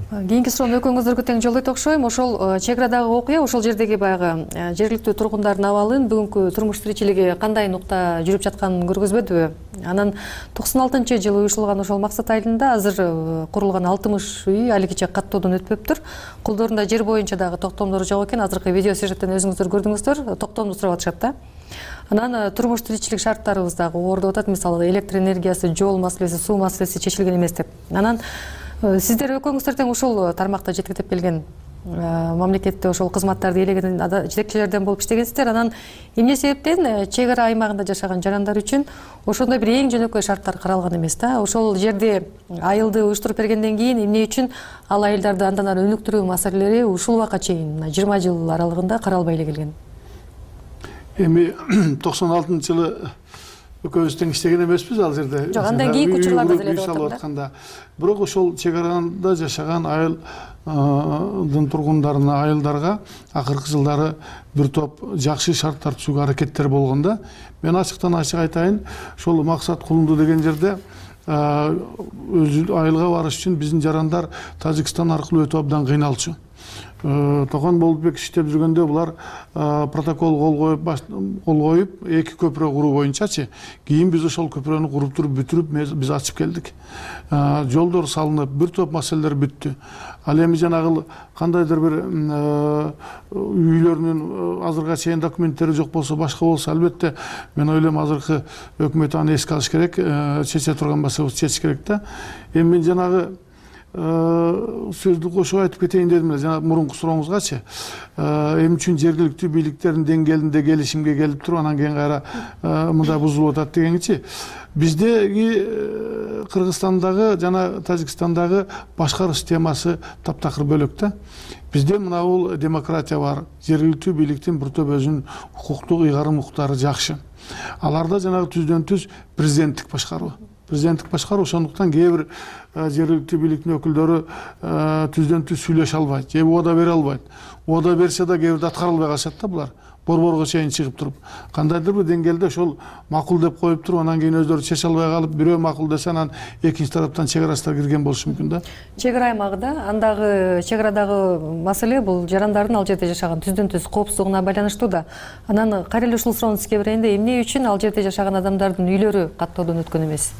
Кийинки суроону экөөңүздөргө тең жолдойт окшойм. Ошол чегарадагы окуя, ошол жердеги баягы жергиликтүү тургундардын абалын, бүгүнкү турмуш тиричилиги кандай нукта жүрүп жатканын көргөзбөдүбү? Анан токсон алтынчы жылы уюштурулган ошол Максат айылында азыр курулган алтымыш үй алигиче каттоодон өтпөптүр. Колдорунда жер боюнча дагы токтомдор жок экен. Азыркы видео сюжеттен өзүңүздөр көрдүңүздөр, токтомду сурап атышат да. Анан турмуш тиричилик шарттарыбыз дагы оордоп атат. Мисалы электр энергиясы, жол маселеси, суу маселеси чечилген эмес деп. Анан сиздер экөөңүздөр тең ушул тармакта жетектеп келген мамлекетте ошол кызматтарды ээлеген жетекчилерден болуп иштегенсиздер. Анан эмне себептен чегара аймагында жашаган жарандар үчүн ошондой бир эң жөнөкөй шарттар каралган эмес да? Ошол жерде айылды уюштуруп бергенден кийин эмне үчүн ал айылдарды андан ары өнүктүрүү маселелери ушул убакка чейин мына жыйырма жыл аралыгында каралбай эле келген? Эми токсон алтынчы жылы экөөбүз тең иштеген эмеспиз ал жерде. Жок, андан кийинки учурларда деле деп атканда. Бирок ошол чегарада жашаган айылдын тургундарына, айылдарга акыркы жылдары бир топ жакшы шарттар түзүүгө аракеттер болгон да. Мен ачыктан ачык айтайын, ошол Максат Кулунду деген жерде өзү айылга барыш үчүн биздин жарандар Тажикстан аркылуу өтүп абдан кыйналчу. Токон Болотбек иштеп жүргөндө булар протокол кол коюп кол коюп эки көпүрө куруу боюнчачы, кийин биз ошол көпүрөнү куруп туруп бүтүрүп биз ачып келдик. Жолдор салынып, бир топ маселелер бүттү. Ал эми жанагы кандайдыр бир үйлөрүнүн азыркыга чейин документтери жок болсо, башка болсо, албетте мен ойлойм азыркы өкмөт аны эске алыш керек, чече турган маселебизди чечиш керек да. Эми мен жанагы сөздү кошуп айтып кетейин дедим эле, жана мурунку сурооңузгачы. Эмне үчүн жергиликтүү бийликтердин деңгээлинде келишимге келип туруп, анан кийин кайра мындай бузулуп атат дегенчи. Биздеги Кыргызстандагы жана Тажикстандагы башкаруу системасы таптакыр бөлөк да. Бизде мына бул демократия бар, жергиликтүү бийликтин бир топ өзүнүн укуктук ыйгарым укуктары жакшы. Аларда жанагы түздөн түз президенттик башкаруу. Президенттик башкаруу, ошондуктан кээ бир жергиликтүү бийликтин өкүлдөрү түздөн түз сүйлөшө албайт, же убада бере албайт. Убада берсе да кээ бирде аткара албай калышат да булар. борборго чейин чыгып туруп кандайдыр бир деңгээлде ошол макул деп коюп туруп анан кийин өздөрү чече албай калып бирөө макул десе анан экинчи тараптан чек арачылар кирген болушу мүмкүн да. чек ара аймагы да, андагы чек арадагы маселе бул жарандардын ал жерде жашаган түздөн түз коопсуздугуна байланыштуу да. Анан кайра эле ушул суроону сизге берейин да, эмне үчүн ал жерде жашаган адамдардын үйлөрү каттоодон өткөн эмес?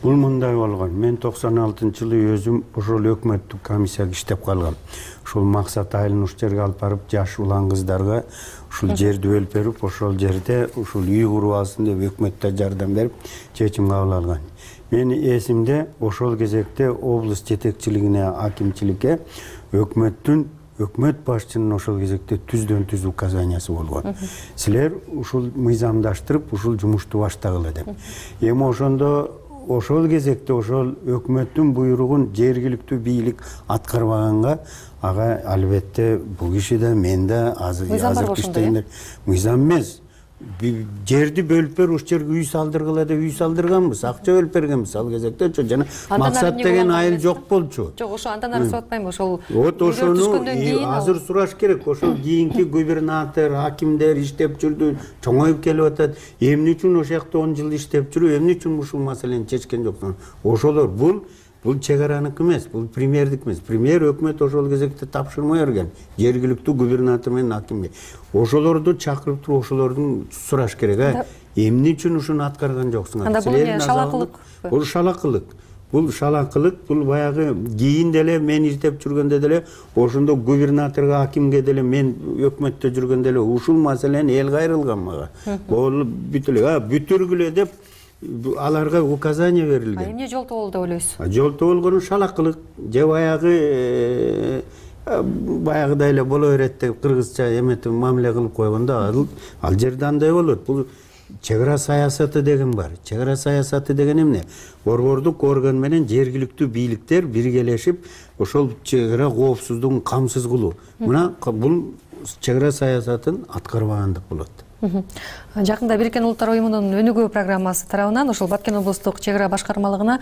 Бул мындай болгон. Мен токсон алтынчы жылы өзүм ошол өкмөттүк комиссияга иштеп калгам. Ушул максат айылын ушул жерге алып барып, жаш улан кыздарга ушул жерди бөлүп берип, ошол жерде ушул үй куруп алсын деп өкмөттө жардам берип, чечим кабыл алган. Менин эсимде ошол кезекте облус жетекчилигине, акимчиликке өкмөттүн өкмөт башчынын ошол кезекте түздөн түз указаниясы болгон. Силер ушул мыйзамдаштырып, ушул жумушту баштагыла деп. Эми ошондо ошол кезекте ошол өкмөттүн буйругун жергиликтүү бийлик аткарбаганга, ага албетте бул киши да, мен да азыр иштейм. Мыйзам эмес. Жерди бөлүп берип, ушул жерге үй салдыргыла деп үй салдырганбыз, акча бөлүп бергенбиз ал кезекте. Жана максат деген айыл жок болчу. Жок, ошо андан ары сурап атпайм, ошол вот ошону азыр сураш керек. Ошол кийинки губернатор, акимдер иштеп жүрдү, чоңоюп келип атат. Эмне үчүн ошол жакта он жыл иштеп жүрүп, эмне үчүн ушул маселени чечкен жоксуң? Ошолор бул Бул чек араныкі эмес, бул премьердик эмес. Премьер өкмөт ошол кезекте тапшырма берген. Жергиликтүү губернатор менен акимге. Ошолорду чакырып туруп, ошолордун сураш керек, а? Эмне үчүн ушуну аткарган жоксуңар? Анда бул эмне шалакылык? Бул шалакылык. Бул шалакылык, бул баягы кийин деле мен иштеп жүргөндө деле, ошондо губернаторго, акимге деле мен өкмөттө жүргөндө деле ушул маселени эл кайрылган мага. Бул бүтүлө, а бүтүргүлө деп аларга указание берилген. Эмне жолтоо болду деп ойлойсуз? Жолтоо болгону шалакылык, же баягы баягыдай эле боло берет деп кыргызча эметип мамиле кылып койгондо ал жерде андай болот. Бул чек ара саясаты деген бар. Чек ара саясаты деген эмне? Борбордук орган менен жергиликтүү бийликтер биргелешип, ошол чек ара коопсуздугун камсыз кылуу. Мына бул чек ара саясатын аткарбагандык болот. Жакында Бириккен Улуттар уюмунун өнүгүү программасы тарабынан ошол Баткен облустук чек ара башкармалыгына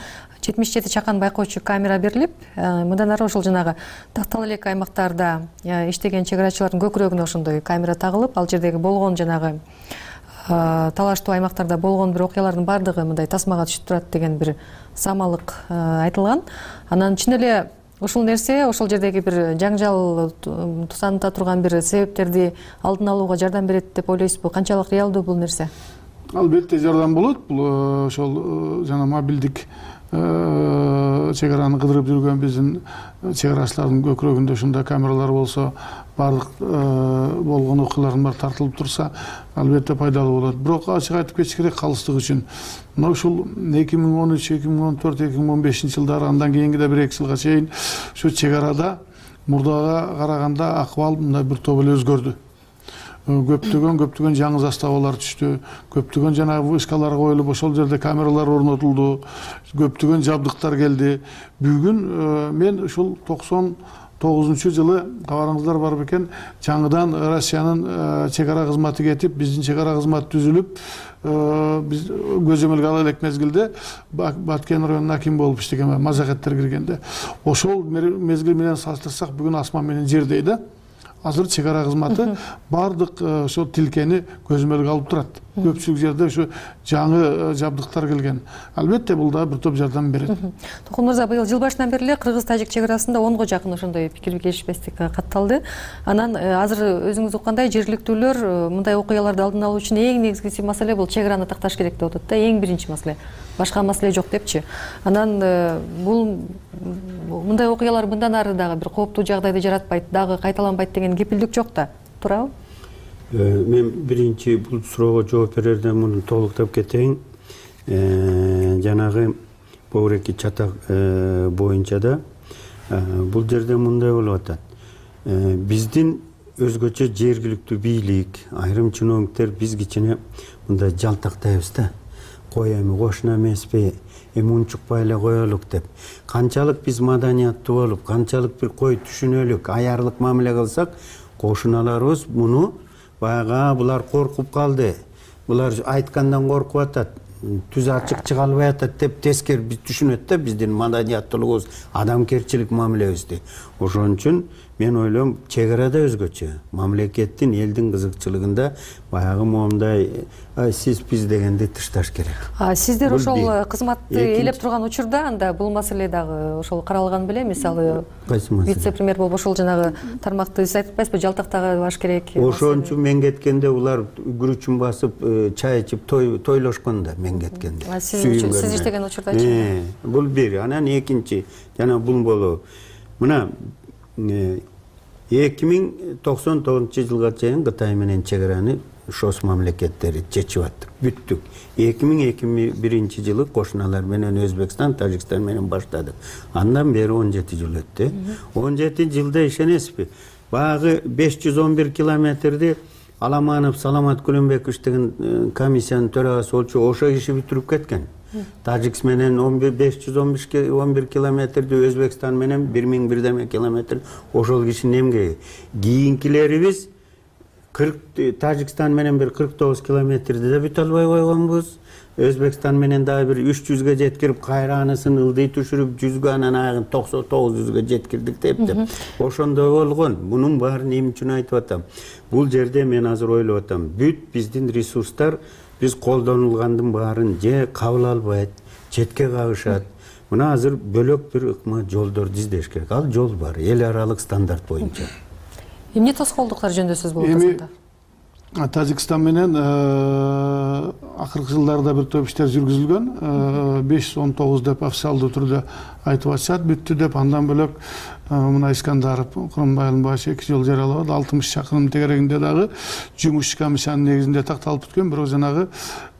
жетимиш жети чакан байкоочу камера берилип, мындан ары ошол жанагы тактала элек аймактарда иштеген чек арачылардын көкүрөгүнө ошондой камера тагылып, ал жердеги болгон жанагы талаштуу аймактарда болгон бир окуялардын баардыгы мындай тасмага түшүп турат деген бир самалык айтылган. Анан чын эле ушул нерсе ошол жердеги бир жаңжал тусаныта турган бир себептерди алдын алууга жардам берет деп ойлойсузбу? Канчалык реалдуу бул нерсе? Албетте жардам болот. Бул ошол жана мобилдик чек араны кыдырып жүргөн биздин чек арачылардын көкүрөгүндө ушундай камералар болсо, баардык болгон окуялардын баары тартылып турса, албетте пайдалуу болот. Бирок ачык айтып кетиш керек калыстык үчүн. Мына ушул эки миң он үч, эки миң он төрт, эки миң он бешинчи жылдары, андан кийинки да бир эки жылга чейин ушу чек арада мурдага караганда акыбал мындай бир топ эле өзгөрдү. Көптөгөн көптөгөн жаңы заставалар түштү, көптөгөн жанагы вышкалар коюлуп, ошол жерде камералар орнотулду, көптөгөн жабдыктар келди. Бүгүн мен ушул токсон тогузунчу жылы кабарыңыздар бар бекен, жаңыдан Россиянын чек ара кызматы кетип, биздин чек ара кызматы түзүлүп, биз көзөмөлгө ала элек мезгилде Баткен районунун акими болуп иштеген мазакеттер киргенде. Ошол мезгил менен салыштырсак, бүгүн асман менен жердей да. Азыр чек ара кызматы баардык ошол тилкени көзөмөлгө алып турат. Көпчүлүк жерде ушу жаңы жабдыктар келген. Албетте бул да бир топ жардам берет. Токун мырза, быйыл жыл башынан бери эле кыргыз-тажик чек арасында онго жакын ошондой пикир келишпестик катталды. Анан азыр өзүңүз уккандай жергиликтүүлөр мындай окуяларды алдын алуу үчүн эң негизгиси маселе бул чек араны такташ керек деп атат да, эң биринчи маселе. Башка маселе жок депчи. Анан бул мындай окуялар мындан ары дагы бир кооптуу жагдайды жаратпайт, дагы кайталанбайт деген кепилдик жок да. Туурабы? Мен биринчи бул суроого жооп берерден муну толуктап кетейин. Жанагы Бовреки чатак боюнча да бул жерде мындай болуп атат. Биздин өзгөчө жергиликтүү бийлик, айрым чиновниктер биз кичине мындай жалтактайбыз да. Кой эми кошуна эмеспи, эми унчукпай эле коелук деп. Канчалык биз маданияттуу болуп, канчалык бир кой түшүнөлүк, аярлык мамиле кылсак, кошуналарыбыз муну баягы булар коркуп калды. Булар айткандан коркуп атат, түз ачык чыга албай атат деп тескери биз түшүнөт да биздин маданияттуулугубуз, адамгерчилик мамилебизди. Ошон үчүн мен ойлойм чек арада өзгөчө, мамлекеттин, элдин кызыкчылыгында баягы моундай сиз биз дегенди тышташ керек. Сиздер ошол кызматты ээлеп турган учурда анда бул маселе дагы ошол каралган беле? Мисалы вице-премьер болуп ошол жанагы тармакты сиз айтып атпайсызбы, жалтактабаш керек. Ошончу мен кеткенде улар күрүчүн басып чай ичип тойлошкон да мен кеткенде. Сиз иштеген учурдачы? Бул бир. Анан экинчи жана бул болобу. Мына эки миң токсон тогузунчу жылга чейин Кытай менен чек араны шос мамлекеттери чечип аттык, бүттүк. эки миң эки миң биринчи жылы кошуналар менен Өзбекстан, Тажикстан менен баштадык. Андан бери он жети жыл өттү. он жети жылда ишенесизби? Баягы беш жүз он бир километрди Аламанов Саламат Күлөнбеков деген комиссиянын төрагасы болчу, ошо иши бүтүрүп кеткен. Тажикс менен беш жүз он бир километрди, Өзбекстан менен бир миң бирдеме километр, ошол кишинин эмгеги. Кийинкилерибиз Тажикстан менен бир кырк тогуз километрди да бүтө албай койгонбуз. Өзбекстан менен дагы бир үч жүзгө жеткирип, кайра анысын ылдый түшүрүп, жүзгө, анан аягын токсон тогуз жүзгө жеткирдик деп деп. Ошондой болгон. Мунун баарын эмне үчүн айтып атам? Бул жерде мен азыр ойлоп атам, бүт биздин ресурстар биз колдонулгандын баарын же кабыл албайт, четке кагышат. Мына азыр бөлөк бир ыкма жолдорду издеш керек. Ал жол бар, эл аралык стандарт боюнча. Эмне тоскоолдуктар жөнүндө сөз болуп атат? Тажикстан менен акыркы жылдарда бир топ иштер жүргүзүлгөн. беш жүз он тогуз деп официалдуу түрдө айтып атышат, бүттү деп. Андан бөлөк мына Искандаров, Курманбайдын башы эки жол жаралабад, алтымыш чакырым тегерегинде дагы жумуш комиссиянын негизинде такталып бүткөн. Бирок жанагы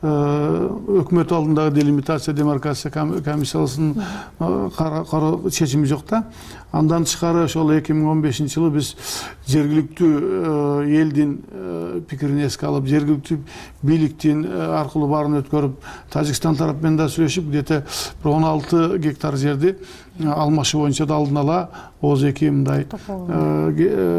өкмөт алдындагы делимитация, демаркация комиссиясынын чечими жок да. Андан тышкары ошол эки миң он бешинчи жылы биз жергиликтүү элдин пикирин эске алып, жергиликтүү бийликтин аркылуу баарын өткөрүп, Тажикстан тарап менен да сүйлөшүп, где-то бир он алты гектар жерди алмашуу боюнча да алдын ала ооз эки мындай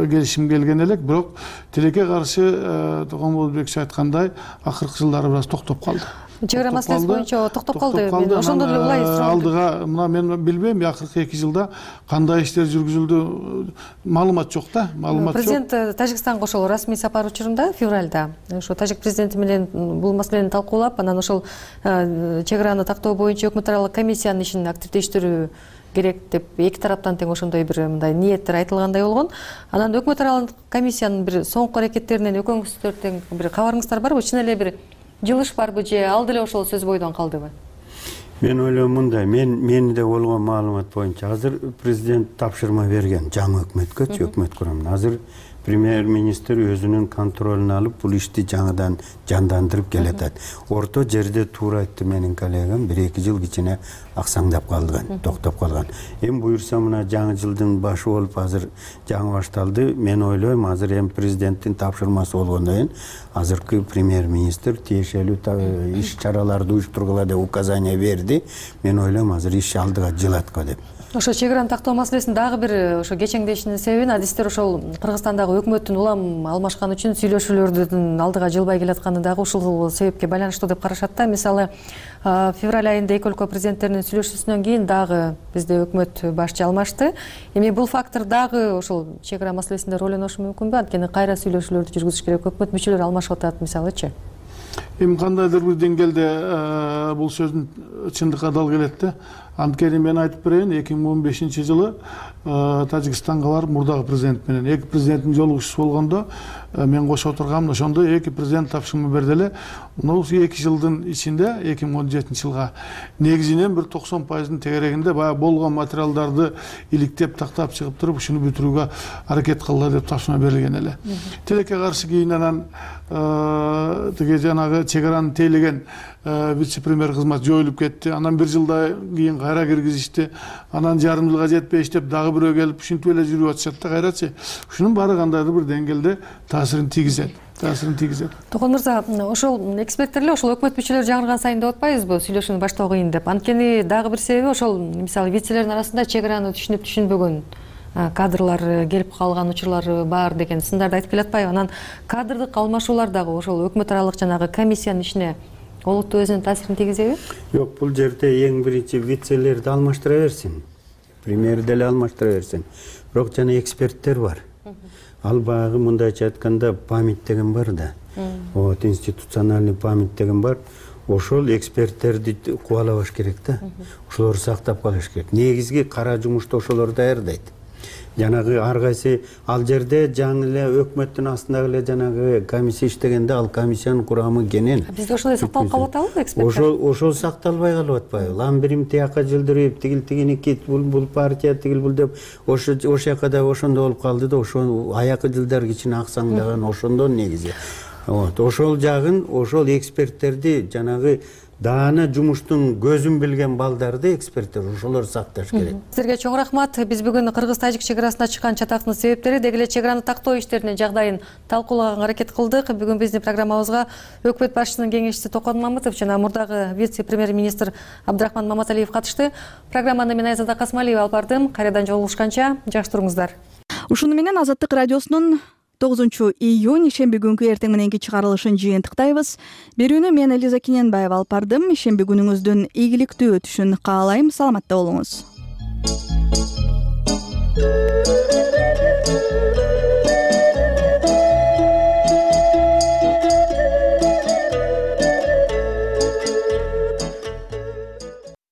келишим келген элек. Бирок тилекке каршы Тогонболбеков айткандай акыркы жылдары бир аз токтоп калды. Чек ара маселеси боюнча токтоп калды. Мен ошондон эле улай сурап алдыга мына мен билбейм, акыркы эки жылда кандай иштер жүргүзүлдү, маалымат жок да, маалымат жок. Президент Тажикстанга ошол расмий сапар учурунда февралда ошо тажик президенти менен бул маселени талкуулап, анан ошол чек араны тактоо боюнча өкмөт аралык комиссиянын ишин активдештирүү керек деп эки тараптан тең ошондой бир мындай ниеттер айтылгандай болгон. Анан өкмөт аралык комиссиянын бир соңку аракеттеринен экөөңүздөр тең бир кабарыңыздар барбы? Чын эле бир жылыш барбы же ал деле ошол сөз бойдон калдыбы? Мен ойлойм мындай, мен менде болгон маалымат боюнча азыр президент тапшырма берген жаңы өкмөткө, өкмөт курамына. Азыр премьер-министр өзүнүн контролуна алып, бул ишти жаңыдан жандандырып келатат. Орто жерде туура айтты менин коллегам, бир эки жыл кичине аксаңдап калган, токтоп калган. Эми буюрса мына жаңы жылдын башы болуп азыр жаңы башталды. Мен ойлойм азыр эми президенттин тапшырмасы болгондон кийин азыркы премьер-министр тиешелүү иш чараларды уюштургула деп указание берди. Мен ойлойм азыр иш алдыга жылат го деп. Ошо чек араны тактоо маселесин дагы бир ошо кечеңдешинин себебин адистер ошол Кыргызстандагы өкмөттүн улам алмашкан үчүн сүйлөшүүлөрдүн алдыга жылбай келатканы дагы ушул себепке байланыштуу деп карашат да. Мисалы, февраль айында эки өлкө президенттеринин сүйлөшүүсүнөн кийин дагы бизде өкмөт башчы алмашты. Эми бул фактор дагы ошол чек ара маселесинде роль ойношу мүмкүнбү? Анткени кайра сүйлөшүүлөрдү жүргүзүш керек, өкмөт мүчөлөрү алмашып атат мисалычы. Эми кандайдыр бир деңгээлде бул сөздүн чындыкка дал келет да. Анткени мен айтып берейин, эки миң он бешинчи жылы Тажикстанга барып мурдагы президент менен эки президенттин жолугушуусу болгондо мен кошо отургам, ошондо эки президент тапшырма берди эле. Мына эки жылдын ичинде эки миң он жетинчи жылга негизинен бир токсон пайыздын тегерегинде баягы болгон материалдарды иликтеп тактап чыгып туруп ушуну бүтүрүүгө аракет кылдылар деп тапшырма берилген эле. Тилекке каршы кийин анан тиги жанагы чек араны тейлеген вице-премьер кызмат жоюлуп кетти. Анан бир жылдан кийин кайра киргизишти. Анан жарым жылга жетпей иштеп дагы бирөө келип ушинтип эле жүрүп атышат да кайрачы. Ушунун баары кандайдыр бир деңгээлде таасирин тийгизет. таасирин тийгизет. Токон мырза, ошол эксперттер эле ошол өкмөт мүчөлөрү жаңырган сайын деп атпайбызбы, сүйлөшүүнү баштоо кыйын деп. Анткени дагы бир себеби ошол мисалы вицелердин арасында чек араны түшүнүп түшүнбөгөн кадрлар келип калган учурлары бар деген сындарды айтып келатпайбы? Анан кадрдык алмашуулар дагы ошол өкмөт аралык жанагы комиссиянын ишине олуттуу өзүнүн таасирин тийгизеби? Жок, бул жерде эң биринчи вицелерди алмаштыра берсин. премьер деле алмаштыра берсең. Бирок жана эксперттер бар. Ал баягы мындайча айтканда память деген бар да. Вот институциональный память деген бар. Ошол эксперттерди кубалабаш керек да. Ошолорду сактап калыш керек. Негизги кара жумушту ошолор даярдайт. Жанагы ар кайсы ал жерде жаңы эле өкмөттүн астындагы эле жанагы комиссия иштегенде ал комиссиянын курамы кенен. Бизде ошондой сакталып калып атабы эксперттер? Ошол ошол сакталбай калып атпайбы? Лам бирим тияка жылдырып, тигил тигиники бул бул партия тигил бул деп ошо ошол жака да ошондо болуп калды да, ошо аякы жылдар кичине аксаңдаган ошондон негизи. Вот ошол жагын ошол эксперттерди жанагы даана жумуштун көзүн билген балдарды эксперттер ошолор сакташ керек. Сизерге чоң рахмат. Биз бүгүн кыргыз-тажик чек арасына чыккан чатактын себептери, деги эле чек араны тактоо иштеринин жагдайын талкуулаганга аракет кылдык. Бүгүн биздин программабызга өкмөт башчысынын кеңешчиси Токон Мамытов жана мурдагы вице-премьер-министр Абдрахман Маматалиев катышты. Программаны мен Айзада Касмалиева алып бардым. Кайрадан жолугушканча жакшы туруңуздар. Ушуну менен Азаттык радиосунун тогузунчу июнь ишемби күнкү эртең мененки чыгарылышын жыйынтыктайбыз. Берүүнү мен Элиза Кененбаева алып бардым. Ишемби күнүңүздүн ийгиликтүү өтүшүн каалайм. Саламатта болуңуз.